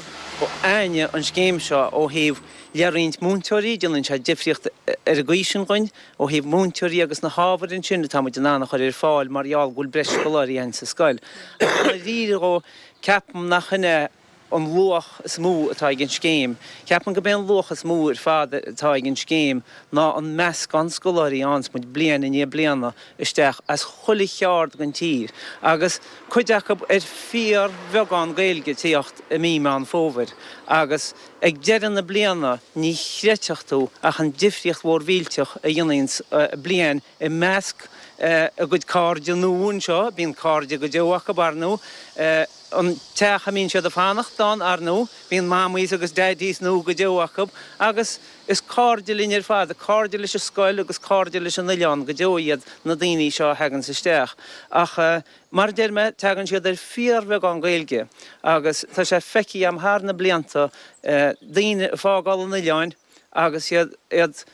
againne an scéim seo ó thaobh le roinnt múinteoirí, déanann sé difríocht ar an gcaoi sin dhuinn ó thaobh múinteoirí agus na hábhair ansin atá muid in ann a chur ar fáil mar gheall go bhfuil breis scoláirí againn sa scoil. Ach i ndáiríre dhó, ceapaim nach in é an luach is mó atá ag an scéim. Ceapaim gurb é an luach is mó ar fad atá ag an scéim ná an meascán scoláirí a fhaigheanns muid bliain i ndiaidh bliana isteach as chuile cheard den tír agus cuid acu ar fíor-bheagán Gaeilge ag tíocht i mí Meán Fómhair agus ag deireadh na bliana ní chreidfeadh tú ach an difríocht mhór mhillteach a dhéananns bliain i measc a gcuid cairde nua anseo, bíonn cairde go deo acu, ar ndóigh. An teach a mbíonn siad ag fanacht ann, ar ndóigh, bíonn mamaís agus daidís nua go deo acu agus is cairde linn ar fad, cairde leis an scoil agus cairde leis an oileán go deo iad na daoine seo a thaganns isteach. Ach mar a deir mé, tagann siad ar fíorbheagán Gaeilge agus tá sé feicthe agam thar na blianta daoine ag fágáil an oileáin agus iad iad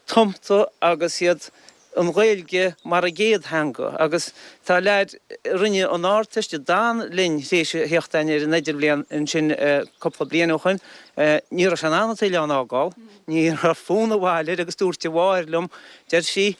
tumta agus iad an Ghaeilge mar a gcéad theanga agus tá leaid a rinne an Ardteist a d'fhan linn th'éis a theacht againn ar an Idirbhliain ansin cúpla bliain ó shoin, ní raibh sé in ann an t-oileán a fhágáil, ní raibh fonn abhaile air agus dúirt a mháthair liom, deir sí,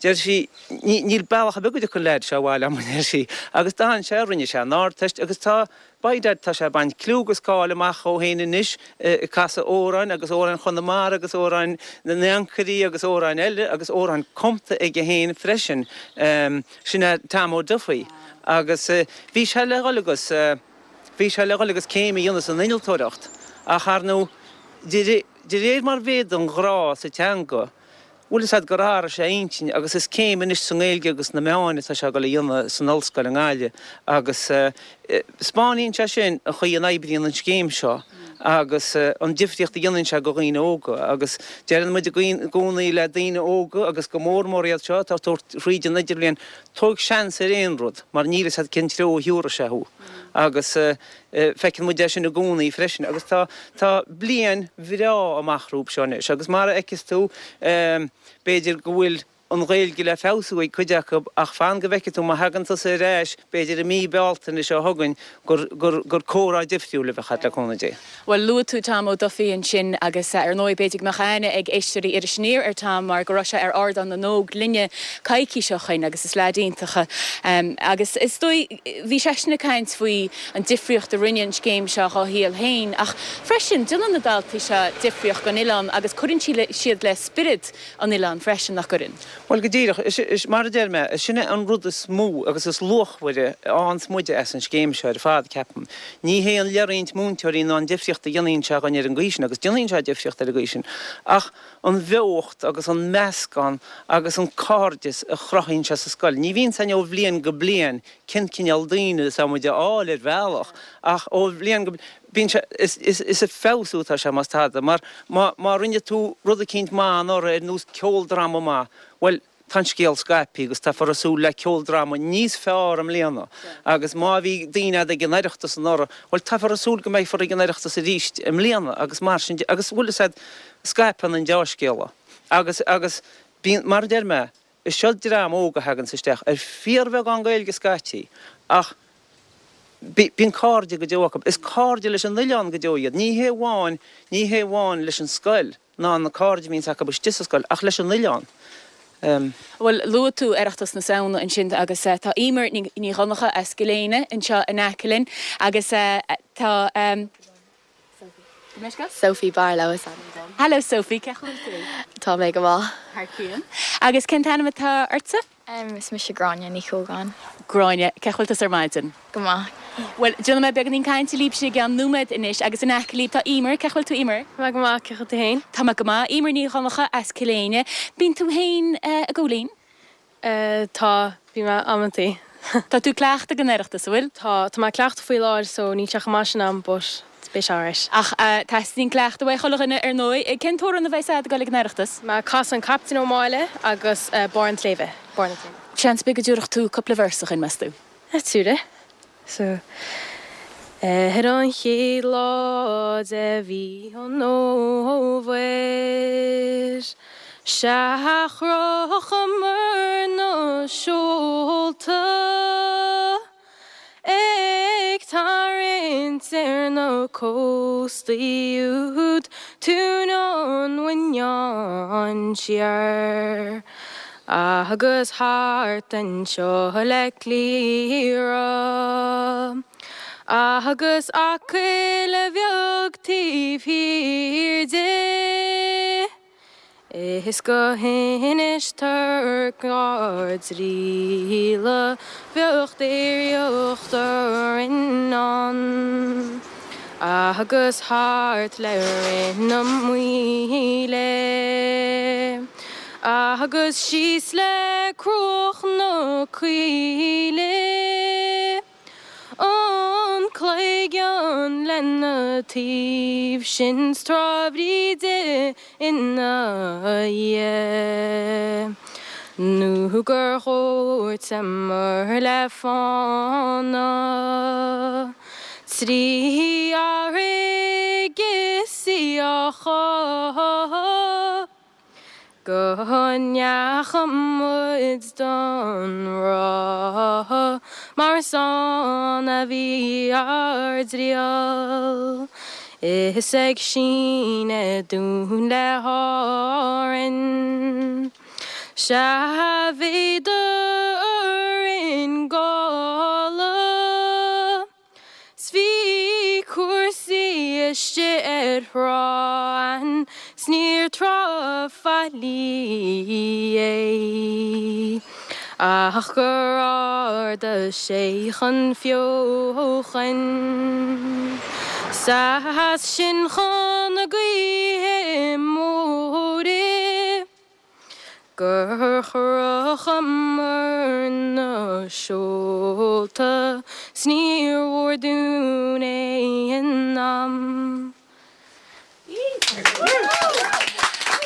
deir sí, níl bealach ar bith go dtiocfaidh an leaid seo abhaile agam, a deir sí. Agus d'fhan sé, rinne sé an Ardteist agus tá By dad, tá sé ag baint cliú agus cáil amach dhó féin anois ag casadh amhráin agus amhráin Chonamara agus amhráin na nAncairí agus amhráin eile agus amhráin cumta aige féin freisin. Sin é Tom O'Duffy. Agus bhí sé le dhul agus, bhí sé le dhul agus céim a dhéanamh san innealtóireacht ach ar ndóigh de réir mar mhéadaigh an grá sa teanga, bhfuil fhios a'd gur athraigh sé a intinn agus is céim anois sa nGaeilge agus na meáin atá sé ag dul a dhéanamh san ollscoil i nGaillimh agus 'speáiníonn sé sin an chaoi a n-oibríonn an scéim seo agus an difríocht a dhéanann sé go dhaoine óga agus deireann muid i gcónaí le daoine óga agus go mór mór iad seo atá ag tabhairt thríd an idirbhliain, tóg seans ar aon rud mar níl fhios a'd cén treo a thiúrfaidh sé thú agus feiceann muid é sin i gcónaí freisin agus tá tá bliain bhreá amach rompu seo anois agus mar a fheiceas tú b'fhéidir go bhfuil an Ghaeilge le feabhsú ag cuid acu ach fan go bhfeicfidh tú má thagann tusa ar ais b'fhéidir i mí Bealtaine seo chugainn gur gur gur comhrá difriúil a bheadh agat le cúnamh Dé. Bhuel, luaigh tú Tom Ó Dufaigh ansin agus ar ndóigh b'fhéidir go mbeadh aithne ag éisteoirí Iris Aniar ar Tom mar go raibh sé ar Ardán na nÓg linne coicís ó shoin agus is leaid iontach é. Agus is dóigh, bhí seisean ag caint faoi an difríocht a rinne an scéim seo dhá shaol féin ach freisin déanann na daltaí seo difríocht don oileán agus cuireann siad le spiorad an oileáin freisin, nach gcuireann? Bhuel, go díreach, is mar a deir mé, sin é an rud is mó agus is luachmhaire a fhaigheanns muide as an scéim seo ar fad, ceapaim. Ní hé an leithroinnt múinteoirí ná an difríocht a dhéanann sé dhuinn ar an gcaoi sin, agus déanann sé difríocht ar an gcaoi sin, ach an bheocht agus an meascán agus an cairdeas a chruthaíonn sé sa scoil. Ní bhíonn 's a'inn ó bhliain go bliain cén cineál daoine atá muid a fháil ar bhealach, ach ó bhliain go bíonn sé, is, is, is ag feabhsú atá sé más tada, mar má, má rinne tú rud eicínt maith anuraidh ar nós ceoldráma maith, bhuel, tá an scéal scaipthe agus táfar ag súil le ceoldráma níos fearr i mbliana agus má bhí daoine a'd ag an Oireachtas anuraidh, bhuel, táfar ag súil go mbeifear ag an Oireachtas arís i mbliana agus mar sin de agus bhfuil 'fhios a'd, scaipeann an deá-scéala agus, agus bíonn, mar a deir mé, is seo dream óg a thaganns isteach ar fíorbheagán Gaeilge scaití ach bíonn cairde go deo acu. Is cairde leis an oileán go deo iad. Ní hé amháin, ní hé amháin leis an scoil ná na cairde a bhíonns acu istigh sa scoil ach leis an oileán. Bhuel, luaigh tú Oireachtas na Samhna ansin agus tá Emer Ní Dhonncha as Cill Éinne anseo in aice linn agus tá. Sophie Barlow is ainm dom. Hello Sophie, cén chaoi a bhfuil tú? Tá mé go maith. Thar cionn. Agus cén t-ainm atá ortsa? Is mise Gráinne Ní Chuagáin. Gráinne, cén chaoi a bhfuil tusa ar maidin? Go maith. Bhuel, déanfaidh mé beagáinín cainte libhse i gceann nóiméad anois agus in aice libh tá Emer, cén chaoi a bhfuil tú Emer? Tá mé go maith, cén chaoi a bhfuil tú féin? Tá mé go maith. Emer Ní Dhonncha as Cill Éinne. Bíonn tú féin ag Góilín? Tá, bhí mé amantaí. Tá tú ag cleachtadh don Oireachtas, an bhfuil? Tá, tá mé ag cleachtadh faoi láthair so níl sé chomh maith sin a'm but beidh sé alright. Ach teastaíonn cleachtadh uaidh chuile dhuine ar ndóigh. Cén t-amhrán a bheas a'd ag dul ag an Oireachtas? Mé ag casadh An Captaen Ó Máille agus Barr an tSléibhe, Barr na Sléibhe. Seans beag go dtabharfadh tú cúpla véarsa dhuinn, meas tú? Tabharfaidh. So. Ar an chéad lá de mhí an Fhómhair, sea chrochamar na seolta ag tarraingt ar na cóstaí úd Tóin an Bhuinneáin siar. Agus thart anseo le Cliara agus Acaill bheag taobh thiar di, is go hInis Toirc ár dtriall bheadh déiríocht orainn ann. Agus thart le Rinn na Maoile. Agus síos le Cruach na Caoile, An Cloigeann lena taobh sin 's Trá Bhríde ina dhiaidh. Nó gur dhúirteamar le fána trí fharraige is í á chá. Go ndeachaigh muid don ráth mar is ann a bhí ár dtriall Is ag síneadh dúinn le hÁrainn Sea bhíodar orainn gála 'S bhí cúrsaí istigh ar thrá ann 's níor tráth faillí é ach gur ardaigh sé chun feochain 'S as sin chun na gaoithe móire Gur chrochamar na seolta 's níor mhór dúinn é in am.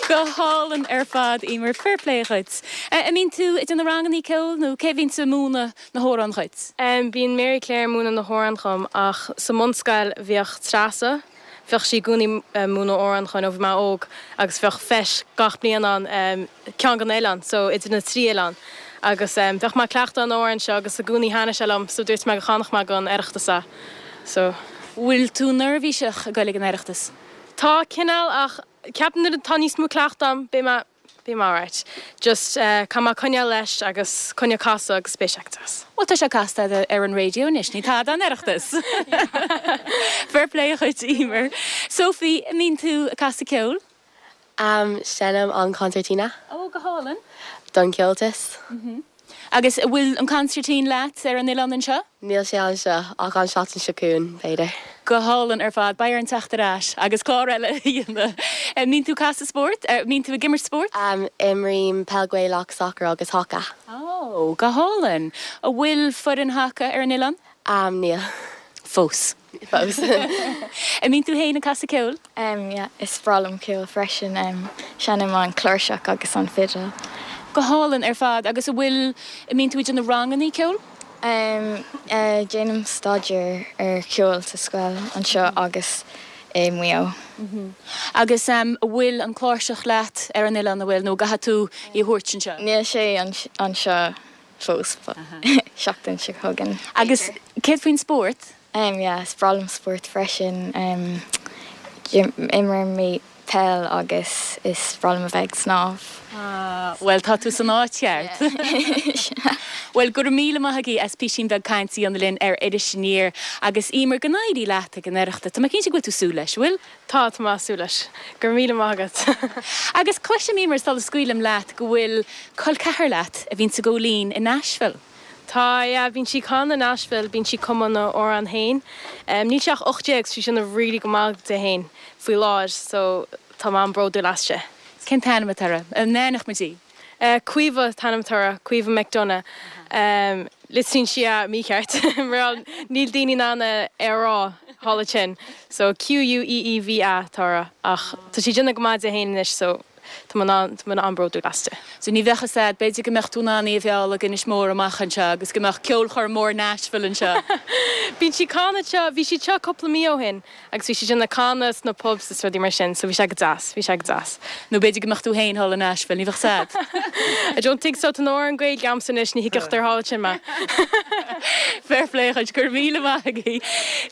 Go hálainn ar fad, Emer, fair play dhuit. An mbíonn tú ag déanamh rangannaí ceoil nó cé bhíonn ag múineadh na hamhráin dhuit? Bíonn Mary Claire ag múineadh na hamhráin dhom ach sa mbunscoil bhíodh Treasa, bheadh sí i gcónaí ag múineadh amhrán dhúinn ó bhí mé óg agus bheadh feis gach bliain ann ceann den oileán so idir na trí oileán agus bheadh mé ag cleachtadh an amhrán seo agus i gcónaí thaitnigh sé liom so dúirt mé go chanfadh mé don Oireachtas é so. Bhfuil tú neirbhíseach ag goil ag an Oireachtas? Tá cineál ach ceapaim nuair atá níos mó cleachtadh a'm beidh mé beidh mé alright. Just caithfidh mé coinneáil leis agus coinneáil casadh agus beidh sé go deas. Bhuel tá sé casta agat ar an raidió anois, ní tada an Oireachtas. Fair play dhuit, Emer. Sophie, an mbíonn tú ag casadh ceoil? Um, seinnim an concertina. Ó, go hálainn. Don Comhaltas. Agus an bhfuil an consairtín leat ar an oileán anseo? Níl sé anseo ach an seachtain seo chugainn, b'fhéidir. Go hálainn ar fad, beidh orainn teacht ar ais agus clár eile a dhéanamh. An mbíonn tú ag casadh spóirt? An mbíonn tú ag imirt spóirt? Imrím peil Gaelach, sacar agus haca. Ó, go hálainn. An bhfuil foireann haca ar an oileán? Níl. Fós. Fós. An mbíonn tú féin ag casadh ceoil? Um, yeah, is breá liom ceol freisin. Um, seinnim an cláirseach agus an fidil. Go hálainn ar fad agus an bhfuil, an mbíonn tú ag déanamh rangannaí ceoil? Um, uh, déanaim staidéar ar cheol sa scoil anseo agus i Maigh Eo. Mm -hmm. Agus um, an bhfuil an cláirseach leat ar an oileán an bhfuil nó caithfidh tú í a thabhairt anseo? Níl sé anseo fós seachtain seo chugainn. Agus céard faoin spórt? Um, yeah, is breá liom spórt freisin. Um, imrím mé peil agus is breá liom a bheith ag snámh. Ah, well tá tú san áit cheart. Well go raibh míle maith agaibh as píosín beag cainte a dhéanamh linn ar Iris Aniar agus Emer go n-éirí leat ag an Oireachtas. Tá mé cinnte go bhfuil tú súil leis, bhfuil? Tá tá mé súil leis. Go raibh míle maith agat. Agus cloisim Emer sula scaoilim leat go bhfuil col ceathar leat a bhíonn ag góilín i Nashville. Tá yeah, bíonn sí ag canadh i Nashville, bíonn sí ag cumadh na n-amhrán féin. Um, níl sí ach ocht déag sí sin really go maith di féin faoi láthair, so tá mé an-bhródúil aisti. Cén t-ainm atá uirthi? An n-aithneodh muid í? Uh, Caoimhe an t-ainm atá uirthi, Caoimhe McDonough. Um, Litríonn sí é mícheart mar níl daoine in ann é a rá thall ansin. So Q U E E V A atá uirthi ach tá sí ag déanamh go maith di féin anois so tá mé an-bhródúil aisti. So ní bheadh fhios agat b'fhéidir go mbeadh tú in ann í a mhealladh go Inis Mór amach anseo agus go mbeadh ceolchoirm mór Nashville anseo. Bíonn sí ag canadh anseo, bhí sí anseo cúpla mí ó shin agus bhí sí ag canadh sna pubs is rudaí mar sin, so bhí sé go deas, bhí sé go deas. Nó b'fhéidir go mbeadh tú féin thall in Nashville, ní bheadh fhios agat. I don't think so tá an Ghaeilge a'msa anois ní thuigtear thall ansin mé. Fair play dhuit go raibh míle maith agaibh.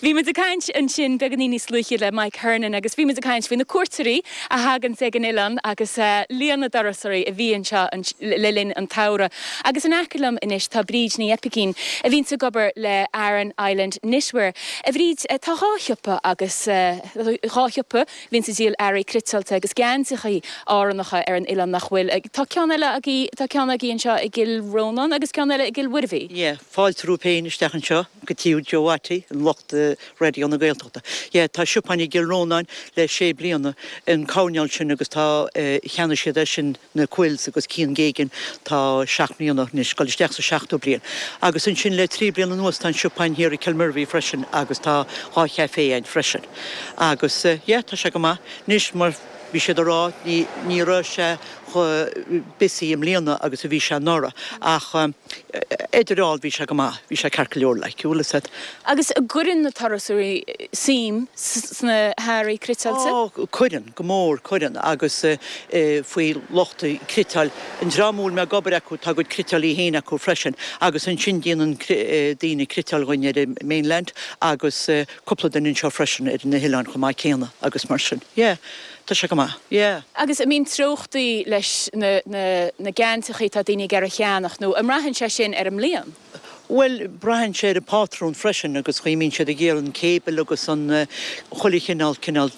Bhí muid ag caint ansin beagáinín níos luaithe le Mike Hernon agus bhí muid ag caint faoi na cuairteoirí a thagann ag an oileán agus uh, líon na dturasóirí a bhí anseo le linn an tsamhraidh. Agus in aice liom anois tá Bríd Ní Oipeachín a bhíonn ag obair le Aran Island Knitwear. A Bhríd tá dhá shiopa agus uh, dhá shiopa bhíonn ag díol earraí cniotáilte agus geansaithe Árannacha ar an oileán nach bhfuil. Tá ceann eile agaibh tá ceann agaibh anseo i gCill Rónáin agus ceann eile i gCill Mhuirbhigh. Yeah, fáilte romhaibh féin isteach anseo go tí Joe Watty an lucht Raidió na Gaeltachta. Yeah, tá siopa i gCill Rónáin le sé bliana an coirnéal sin agus tá cheannaigh siad é sin na Quills agus Cian Gégan tá seacht mbliana anois ag dul isteach sa seachtú bliain. Agus ansin le trí bliana anuas tá an siopa thiar i Cill Mhuirbhigh freisin agus tá dhá chaifé ann freisin. Agus yeah, tá sé go maith anois mar bhí siad ag rá ní ní raibh sé busy i mbliana agus a bhí sé anuraidh ach idir bhí sé go maith, bhí sé ceart go leor le cúla. Agus an gcuireann na turasóirí suim sna hearraí cniotáilte? Ó cuireann go mór cuireann agus faoi lucht cniotáil an dream a bhfuil mé ag obair acu tá gcuid cniotálaí féin acu freisin agus ansin déanann daoine cniotáil dhuine ar an mainland agus cúpla duine anseo freisin ar na hoileáin chomh maith céanna agus mar sin. Yeah. Tá sé go maith. Yeah. Agus an mbíonn treochtaí leis na, na, na geansaithe tá daoine ag iarraidh a cheannach nó an mbraitheann sé sin ar an mbliain. Bhuel, braitheann sé ar an pátrún freisin agus chaoi mbíonn siad ag iarraidh an cable agus an chuile chineál cineál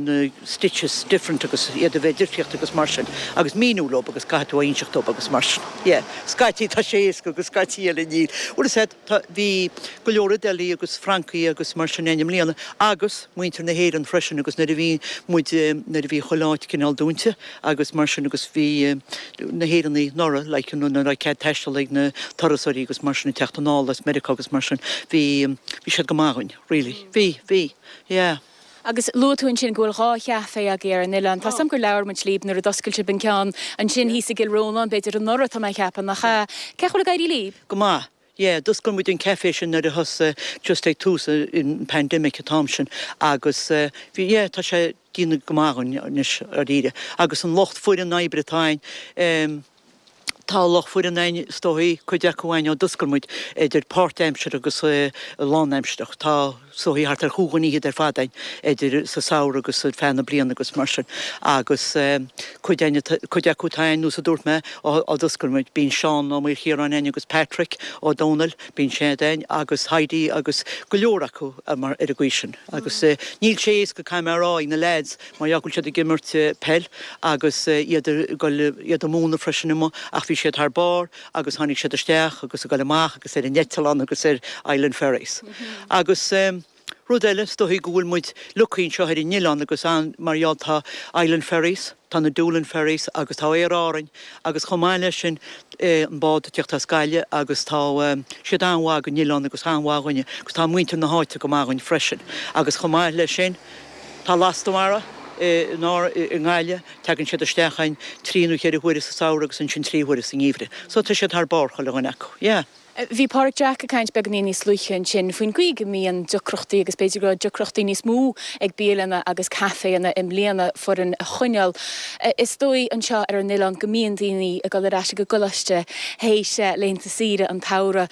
na stitches different agus iad a bheith difríocht agus mar sin agus míniú leob agus caithfidh tú a inseacht dóibh agus mar sin. Yeah. Scaití tá sé éasca agus scaití eile níl. Bhuel is ea tá bhí go leor Iodálaigh agus Francaigh agus mar sin i mbliana agus muintir na hÉireann freisin agus nuair a bhí muid nuair a bhí chuile áit cineál dúnta agus mar sin agus bhí na hÉireannaigh anuraidh like you know nuair a raibh cead taistil ag na turasóirí agus mar sin ag teacht anall as Meiriceá agus mar sin bhí bhí siad go maith againn really. Bhí bhí yeah. Agus luaigh tú ansin go bhfuil dhá chaifé agaibh ar an oileán. Tá 's agam gur labhair muid libh nuair a d'oscail sibh an ceann ansin thíos i gCill Rónáin, b'fhéidir anuraidh tá mé ag ceapadh, nach ea? Cén chaoi a bhfuil ag éirí libh? Go maith. Yeah, d'oscail muid an café sin nuair a thosaigh just ag tús an pandemic an t-am sin agus bhí yeah tá sé ag déanamh go maith againn anois dáiríre. Agus an lucht foireann oibre atá againn, tá lucht foireann againn is dóigh cuid acu againn ó d'oscail muid idir páirtaimseartha agus lánaimsearach. Tá is dóigh thart ar chúig dhuine fhichead ar fad againn idir sa samhradh agus ar feadh na bliana agus mar sin. Agus cuid againn cuid acu atá againn nós a dúirt mé ó d'oscail muid. Bíonn Seán Ó Maoilchiaráin againn agus Patrick Ó Dónaill, bíonn siad againn agus Heidi agus go leor acu mar ar an gcaoi sin. Agus níl sé éasca caithfidh mé a rá ag na lads mar gheall go bhfuil siad ag imirt peil agus iad ag dul iad ag múineadh freisin amuigh ach bhí siad thar barr agus tháinig siad isteach agus ag dul amach agus ar an eitleán agus ar Island Ferries. Agus rud eile, is dóigh go bhfuil muid lucky anseo ar an oileán agus an mar gheall tá Island Ferries, tá na Doolin Ferries agus tá Aer Árainn agus chomh maith leis sin an bád ag teacht as Gaillimh agus tá siad an-mhaith don oileán agus an-mhaith dhúinne agus tá muintir na háite go maith dhúinn freisin. Agus chomh maith leis sin tá Lasta Mara i nGaillimh, tagann siad isteach againn trí nó ceithre huaire sa samhradh agus ansin trí huaire sa ngeimhreadh. So tá siad thar barr chuile dhuine acu. Yeah. Bhí Pádraig Jack ag caint beagáinín níos luaithe ansin faoin gcaoi go mbíonn deacrachtaí agus b'fhéidir go raibh deacrachtaí níos mó ag bialanna agus caiféanna i mbliana foireann a choinneáil. Is dóigh anseo ar an oileán go mbíonn daoine ag dul ar ais ag an gcoláiste théis laethanta saoire an tsamhraidh.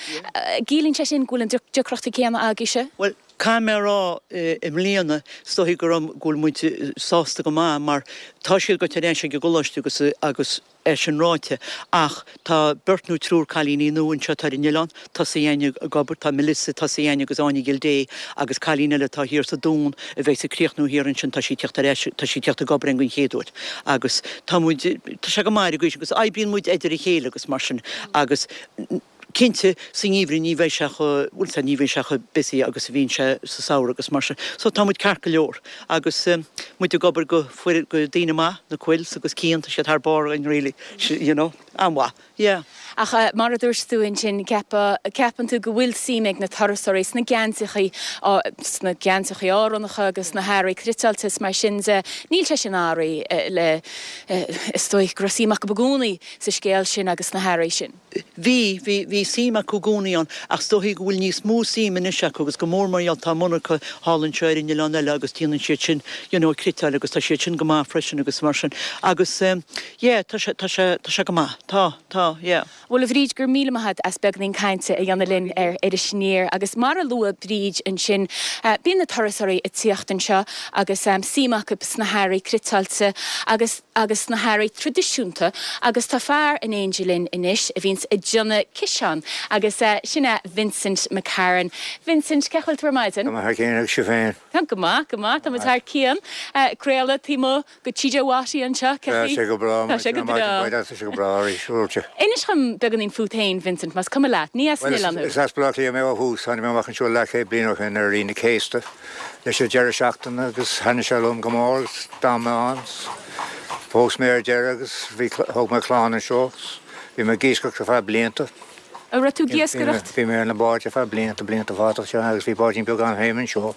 Ciallaíonn sé sin go bhfuil an deacrachtaí céanna agaibhse? Bhuel, caithfidh mé a rá i mbliana is dóigh go raibh go bhfuil muid sásta go maith mar tá siad ag goil ar ais ag an gcoláiste agus agus é sin ráite ach tá beirt nó triúr cailíní nua anseo atá ar an oileán, tosaithe againn ag obair, tá Melissa tosaithe againn agus Áine Gildea agus cailín eile atá thiar sa Dún a bheidh ag críochnú thiar ansin tá sí ag teacht ar ais, tá sí ag teacht ag obair againn den chéad uair agus tá muid, tá sé go maith ar an gcaoi sin agus oibríonn muid idir a chéile agus mar sin agus cinnte sa ngeimhreadh ní bheidh sé chomh, bhuel sea ní bheidh sé chomh busy agus a bhíonn sé sa samhradh agus mar sin. So tá muid ceart go leor agus muid ag obair go fuir, go daoine maith, na Quills agus Cian, tá siad thar barr againn really, you know, an-mhaith, yeah. Ach mar a dúirt tú ansin, ceapadh, ceapann tú go bhfuil suim ag na turasóirí sna geansaíochaí, sna geansaíochaí Árannacha agus sna hearraí cniotáilte is mar sin de, níl sé sin athraithe le, is dóigh go raibh suim acu i gcónaí sa scéal sin agus sna hearraí sin. Bhí, bhí, bhí suim acu i gcónaí ann ach is dóigh go bhfuil níos mó suim anois acu agus go mór mar gheall tá monarcha thall anseo ar an oileán eile agus déanann siad sin you know cniotáil agus tá siad sin go maith freisin agus mar sin agus yeah tá sé, tá sé, tá sé go maith, tá, tá, yeah. Bhuel a Bhríd, go raibh míle maith agat as beagáinín cainte a dhéanamh linn ar Iris Aniar agus mar a luaigh Bríd ansin, bíonn na turasóirí ag tíocht anseo agus suim acu sna hearraí cniotáilte agus agus sna hearraí traidisiúnta agus tá fear in éindí linn anois a bhíonns ag déanamh ciseán agus sin é Vincent McCarron. Vincent, cén chaoi a bhfuil tú ar maidin? Tá mé thar cionn agus sibh féin. Tá go maith, go maith, tá muid thar cionn. Craoladh taobh amuigh go Tigh Joe Watty anseo, cén Tá chaoi? sé go breá, Tá sé go breá. Tá sé go breá arís, Rúirte. Inis dhom beagáinín fút féin, Vincent, más cuma leat, ní as an Bhuel, oileán thú. is as Baile Átha Cliath mé ó thús, tháinig mé amach anseo leathchéad bliain ó shin ar Aoine Céasta leis an deireadh seachtaine agus thaitnigh sé liom go mór agus d'fhan mé ann. Phós mé ar deireadh agus bhí, thóg mé clann anseo. Bhí mé ag iascaireacht ar feadh blianta. An raibh tú ag iascaireacht? Bhí mé ar na báid ar feadh blianta, blianta fada seo agus bhí báidín beag agam féin anseo.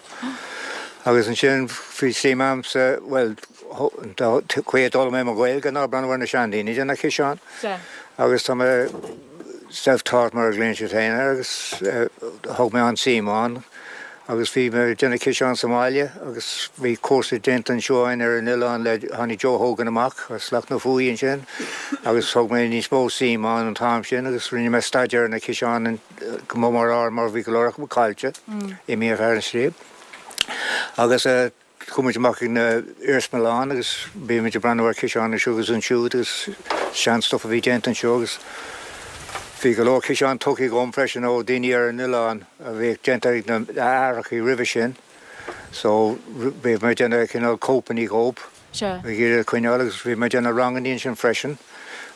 Agus ansin bhí suim a'msa, bhuel, chaoi a d'fhoghlaim mé mo Ghaeilge ná breathnú ar na seandaoine ag déanamh ciseán. Agus tá mé self-taught mar a ghlaonn siad féin air agus thóg mé an-suim ann agus bhí mé ag déanamh ciseán sa mbaile agus bhí cúrsa déanta anseo againn ar an oileán le tháinig Joe Hogan amach as Loch na Fuaí ansin agus thóg mé níos mó suim ann an t-am sin agus rinne mé staidéar ar na ciseáin go mór mór mar bhí go leor acu caillte imithe thar an sliabh agus chuaigh muid amach ag na iarsmalann agus bhí muid ag breathnú ar ciseáin anseo agus ansiúd agus sean stuff a bhí déanta anseo agus Bhí go leor ciseán tugtha dhom freisin ó daoine ar an oileán a bhíodh déanta ag na aithreachaí roimhe sin so bhí mé ag déanamh cineál cóipeanna dhób. Sea. Ag iarraidh a choinneáil agus bhí mé ag déanamh rangannaí ansin freisin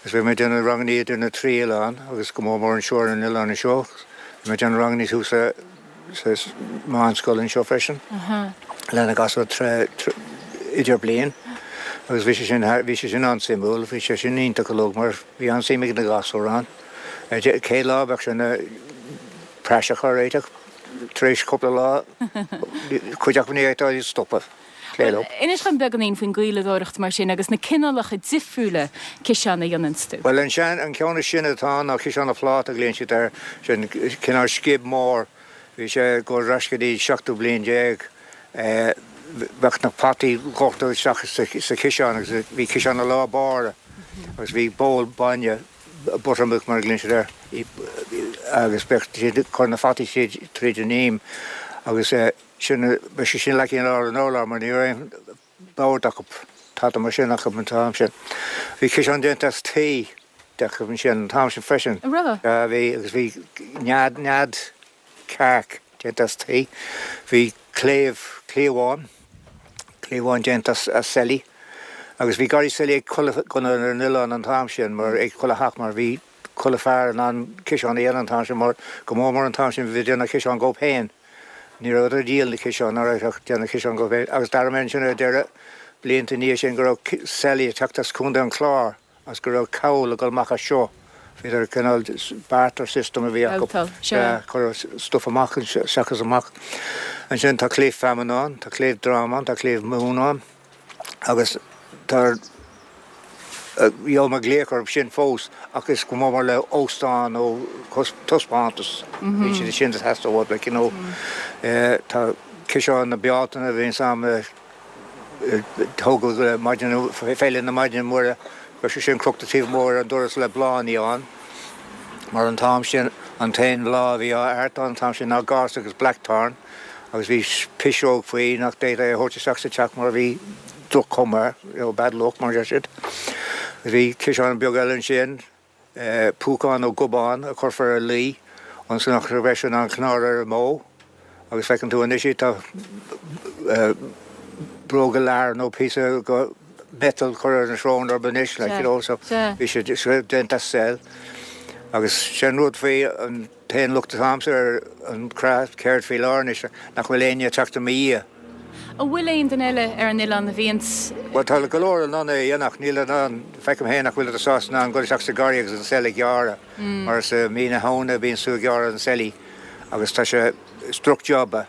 agus bhí mé ag déanamh rangannaí idir na trí oileán agus go mór mór anseo ar an oileán anseo. Bhí mé ag déanamh rangannaí thuas sa sa meánscoil anseo freisin le na gasúir tre idirbliain agus bhí sé sin bhí sé sin an-suimiúil, bhí sé sin iontach uilig mar bhí an-suim ag na gasúir ann. Céad lá bheadh sé ina praiseach á réiteach tar éis cúpla lá cuid acu ní fhéadfá stopadh plé leo. Inis dom beagáinín faoin gcaoladóireacht mar sin agus na cineálacha difriúla ciseán a dhéananns tú. Bhuel an sean an ceann is sine atá ann ná ciseán na phláta a ghlaonn siad air, sin cineál scib mór Bhí sé ag dul ar ais go dtí seachtú bliain déag. Bheadh na fataí doirte isteach sa chiseán agus bhí ciseán i lár báire agus bhí ból bainne, buttermilk mar a ghlaonn siad air, agus bheadh siad ag cur na fataí tríd tríd an ím agus sin, bheadh sé sin leagtha i lár an urláir mar ní raibh aon bord acu, tada mar sin acu an t-am sin. Bhí ciseán déanta as tuí acu ansin an t-am sin freisin. An raibh? Bhí agus bhí nead, nead. cearc déanta as tuí. Bhí cléibh, cliabhán, cliabhán déanta as as seilí agus bhí garraí seilí ag chuile dhuine ar an oileán an t-am sin mar ag chuile theach mar bhí chuile fear in ann ciseán a dhéanamh an t-am sin mar go mór mór an t-am sin bhí déanamh ciseán dhóibh féin. Ní rabhadar ag díol na ciseán ná raibh ach déanamh ciseán dhóibh féin agus d'airigh mé ansin ar deireadh blianta ina dhiaidh sin go raibh seilí ag teacht as Contae an Chláir agus go raibh coal ag dul amach as seo. Bhíodar cineál barter system a bhí acu. Babhtáil, sea. Cuireadh stuif amach isteach is amach. Ansin tá cléibh feamainne ann, tá cléibh drom ann, tá cléibh mún ann agus tá gheobhaidh mé glaoch orthu sin fós ach is go mór mór le óstán nó taispeántas bíonn siad sin ag teastáil uait like you know. Tá ciseán na Bealtaine a bhíonns am tógadh maidin Féile na Maighdine Muire, bheadh sé sin crochta taobh amuigh ar an doras le bláthanna ann, mar an t-am sin an t-aon bhláth a bhí á fheart an t-am sin ná gorse agus blackthorn agus bhí piseog faoi nach d'fhéadfá é a thabhairt isteach sa teach mar bhí droch-chuma air, you know, bad luck mar a deir siad. Bhí ciseán beag eile ansin. púcán nó gobán a chuirfear ar lao ionas nach raibh sé in ann cnár ar an mbó agus feiceann tú anois iad tá bróga leathair nó píosa go metal curtha ar an srón orthu anois like you know so bhí sé déanta as sail agus sé an rud faoi an t-aon locht atá agamsa ar an craft ceird faoi láthair anois nach bhfuil éinne ag teacht i mo dhiaidh. An bhfuil aon duine eile ar an oileán a bhíonns. Bhuel tá go leor in ann é a dhéanamh ach níl in ann, feicim féin nach bhfuil siad sásta in ann dul isteach sa gharraí agus an sail a ghearradh mar is i mí na Samhna a bíonns tú ag gearradh an seilí agus tá sé, is droch job é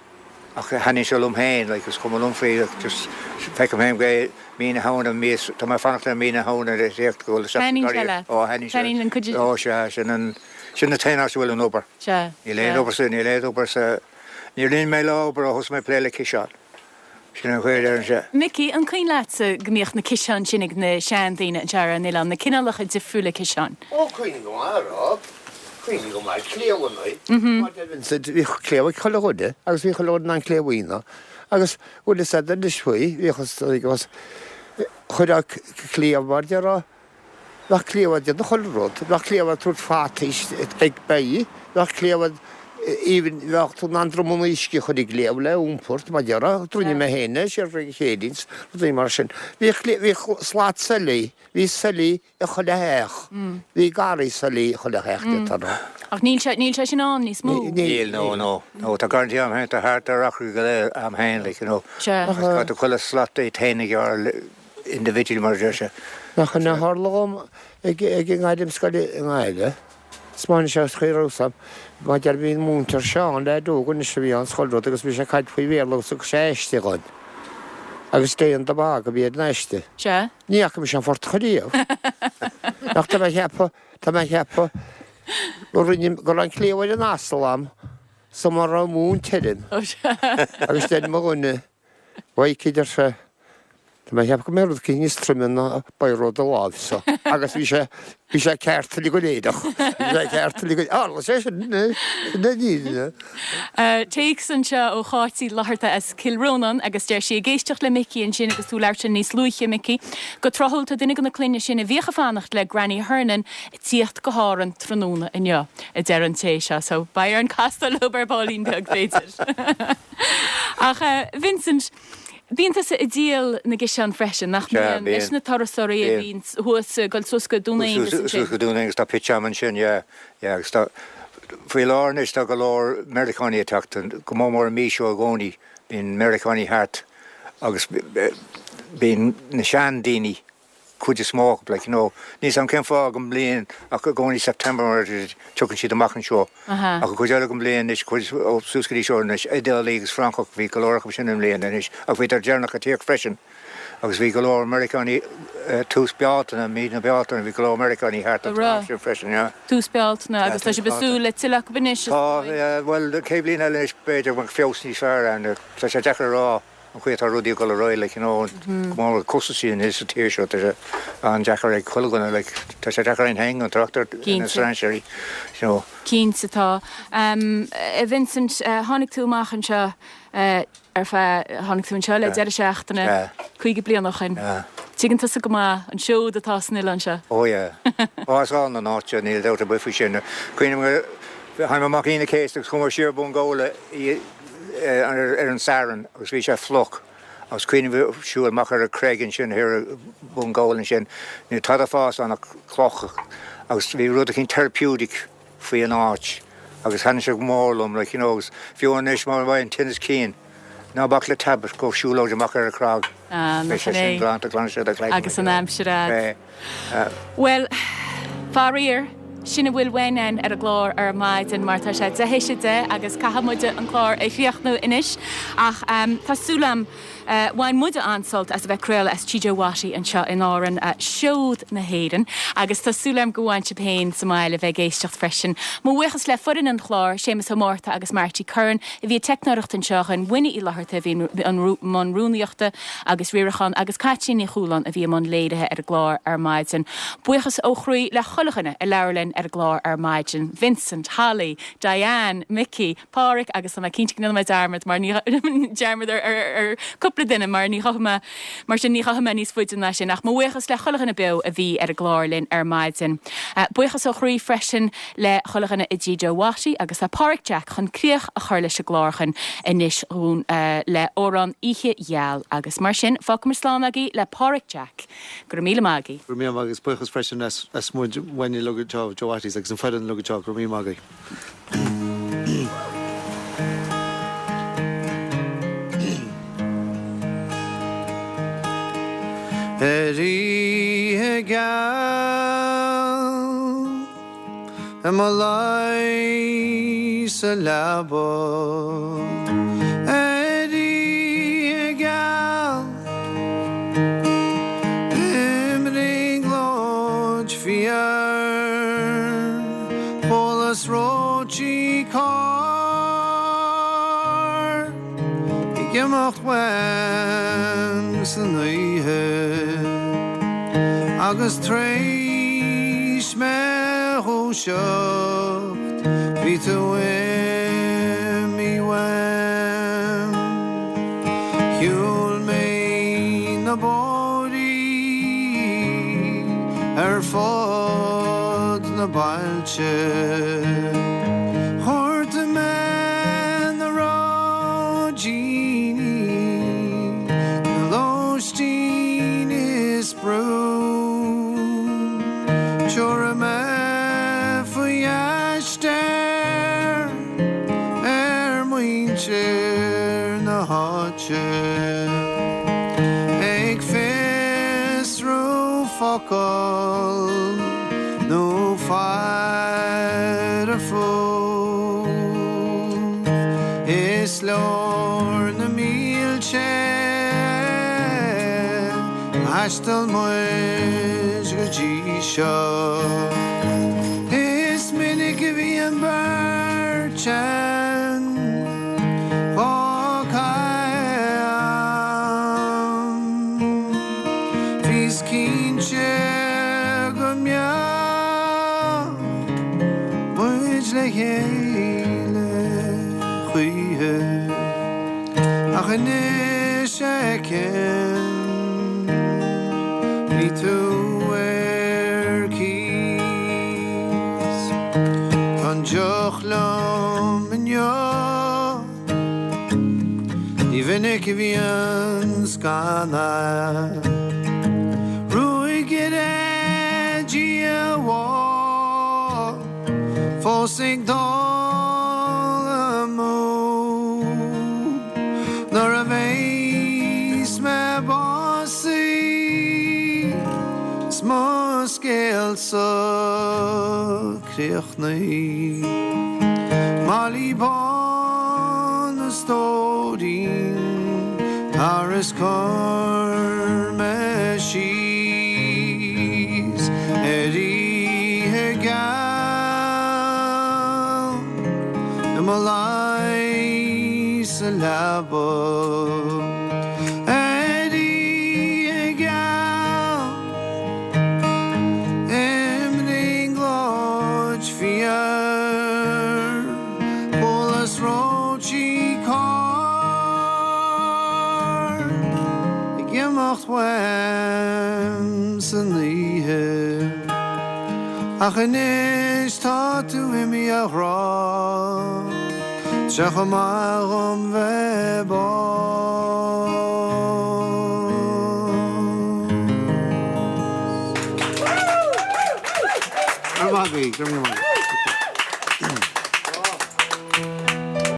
ach thaitníonn sé liom féin like is cuma liom faoi like just feicim féin go é mí na Samhna mí is, tá mé ag fanacht le mí na Samhna le tíocht go dul isteach sa Thaitníonn sé gharraí. leat. Ó thaitníonn sé. Thaitníonn an cuid. Ó sea, sin an, sin an t-aon áit a bhfuil an obair. Sea, Níl aon sea. obair sa, níl aon obair sa, níor dhein mé lá oibre ó thosaigh mé ag plé le ciseán. Sin an chaoi a deireann sé. Micí, an cuimhin leatsa go mbíodh na ciseáin sin ag na seandaoine anseo ar an oileán, na cineálacha difriúla ciseáin? Ó, cuimhním go maith a Rob. Cuimhním go maith cliabhanaí. Mar deir siad, bhíodh cliabh ag chuile dhuine agus bhí chuile dhuine in ann cliabh a dhéanamh. Agus bhfuil fhios a'd anois faoi, bhíodh fhios chuirfeadh cliabh mar déarfá, Bheadh cliabh ag déanamh chuile rud, bheadh cliabh ag tabhairt fataí ag beithígh, bheadh cliabh ag, even, bheadh tú in ann drum an uisce a chur i gcliabh le iompar, mar déarfá, rinne mé féin é, siar chuig an chéilí, rudaí mar sin. Bhíodh cliabh, bhíodh slat seilí, bhí seilí i chuile theach, bhí garraí seilí i chuile theach, déarfá rá. Ach níl sé, níl sé sin ann níos mó. Níl, no, no, no, tá guarantee a'm féin, tá thart ar achar go leith a'm féin, like, you know, Sea. agus caithfidh tú chuile slat duit féin a ghearradh individually mar a deir sé. Nach ina tharla dhom ag ag an nGairmscoil i nGaillimh. Is maith anois as chaoi raibh sam. Mar deir bhí an múinteoir Seán leaid óg anois a bhí ann scoil rud agus bhí sé ag caint faoi Bhéarla agus thug sé aiste dhúinn. Agus Day on the Bog a bhí ar an aiste. Sea. Ní fhaca mise an phortach ariamh. Ach tá mé ag ceapadh, tá mé ag ceapadh go rinne, go raibh an cliabh ar an asal a'm sa mar raibh mún tirim. Ó sea. Agus deir mo dhuine, Mhaidhc, a deir sé, Tá mé ag ceapadh go mbeidh rud eicínt níos troime ná biro i do láimh so agus bhí sé bhí sé ceart uilig go léireach. Bhí sé ceart uilig go Tharla sé sin sin é ní. Téacs anseo ó Cháit Uí Fhlatharta as Cill Rónáin agus deir sí ag éisteacht le Micí ansin agus tú ag labhairt níos luaithe Micí. Go tráthúil tá duine de na clainne sin a bhíodh ag fanacht le Granny Hernon ag tíocht go hÁrainn tráthnóna inniu, a deir an té seo, so beidh orainn castáil leo ar baillín beag b'fhéidir. Ach Vincent, Bíonn tusa ag díol na gciseán freisin, nach mbíonn? Leis na turasóirí a bhíonn thuas ag dul suas go Dún Aonghus ansin. Suas go Dún Aonghus, tá pitch a'm ansin, yeah, yeah, agus tá, faoi láthair anois tá go leor Meiriceánaigh ag teacht, go mór mór an mhí seo i gcónaí, bíonn Meiriceánaigh thart agus bíonn na seandaoine, cuid is mó acu, like, you know, níl 's a'm cén fáth den mbliain ach i gcónaí September mar tiocfaidh siad amach anseo. Ach an chuid eile den mbliain anois, cuid ó suas go dtí seo anois, Iodálaigh agus Francaigh, bhí go leor acu sin i mbliana anois ach bhíodar deireanach ag tíocht freisin agus bhí go leor Meiriceánaigh tús Bealtaine, mí na Bealtaine, bhí go leor Meiriceánaigh thart an t-am sin freisin, yeah. Tús Bealtaine agus tá sibh ag súil le tuilleadh acu anois is dóigh? Tá, yeah, bhuel, céad bliain eile anois b'fhéidir go mbeadh feabhas níos fearr ann, tá sé deacair a rá. an chaoi atá rudaí ag dul ar aghaidh, like, you know, go mór mór costaisí anois sa tír seo, tá sé an-deacair ag chuile dhuine, like, tá sé deacair orainn féin gan trácht ar na strainséirí, you know. Cinnte tá. A Vincent, tháinig tú amach anseo ar feadh, tháinig tú anseo le deireadh seachtaine caoga bliain ó shin. Tuigeann tusa go maith an seod atá san oileán seo. Oh yeah. Ó is álainn an áit, níl dabht ar bith faoi sin. Cuimhním go, tháinig mé amach Aoine an Chéasta agus chuaigh mé siar Bun Gabhla ar an Satharn agus bhí sé fliuch agus cuimhním ag siúl amach ar an Creag ansin thiar i mBun Gabhla ansin, níl tada ag fás ann ach cloch agus bhí rud eicínt therapeutic faoi an áit agus thaitnigh sé go mór liom like you know agus fiú anois má bhfaighim tinneas cinn, ná bac le tablet, gabh siúlóid amach ar an Chreag, Ah, beidh sé nach sin é. glanta, glanfaidh sé do chloigeann Agus an aimsir a'd. Bhuel, faraor, Sin a bhfuil uainn ar an gclár ar maidin mar tá sé deich théis a deich agus caithfidh muide an clár a chríochnú anois ach tá súil agam bhain muide an-sult as a bheith ag craoladh as Tí Joe Watty anseo in Árainn, seod na hÉireann agus tá súil agam go bhain sibh féin sa mbaile a bheith ag éisteacht freisin. Mo bhuíochas le foireann an chláir, Séamus Ó Márta agus Marty Curran a bhí ag teicneoireacht anseo againn, Winnie Uí Fhlatharta a bhí i mbun rúnaíochta agus riaracháin agus Caitlín Ní Chualáin a bhí i mbun léirithe ar an gclár ar maidin. Buíochas ó chroí le chuile dhuine a labhair linn ar an gclár ar maidin, Vincent, Holly, Diane, Mickey, Páraic agus tá mé cinnte go ndéanfaidh mé dearmad mar ní dearmad ar ar cúpla duine mar ní ghabhfaidh mé mar sin ní ghabhfaidh mé níos faide ná sin ach mo bhuíochas le chuile dhuine beo a bhí ar an gclár linn ar maidin. Buíochas ó chroí freisin le chuile dhuine i dTí Joe Watty agus tá Páraic Jack chun críoch a chur leis an gclár againn anois dhúinn le amhrán Oíche Gheal agus mar sin fágfaimid slán agaibh le Páraic Jack. Go raibh míle maith agaibh. Go raibh míle maith agus buíochas freisin as as muid uilig anseo Joe Watty's agus an foireann uilig anseo go raibh míle maith agaibh. Ar oíche gheal i mo luí sa leaba Ar oíche gheal i mbrionglóid fíor Chualas reoití cairr ag imeacht uaim san oíche Agus tar éis mé dhúiseacht bhí tú imithe uaim. Shiúil mé na bóithrí ar fud na bailte. Chuartaigh mé na róidíní, na lóistín is brú. Tabharfaidh mé faoi aistear ar mhuintir na háite ag fiosrú focal nó faire fút. Is leor na mílte a thaistil muid go dtí seo. Is minic a bhí an bheirt ann chomh caith ann. Bhíos cinnte go mbeadh muid le chéile choíche ach anois feicim bhí tú ar cíos Tá deoch liom inniu Ní mhinic a bhíonn scannal Ruaige Dia fós ag dul amú Nuair a bheas mé básaithe 's mo scéalsa críochnaithe Molly bán a stóirín tar is cuir mé síos ar oíche gheal i mo luí sa leaba ar oíche gheal i mbrionglóid fíor Chualas reoite carr ag imeacht uaim san oíche Ach anois tá tú imithe a ghrá Sé chomh maith dhom bheith bocht. Go raibh maith agaibh, go raibh maith.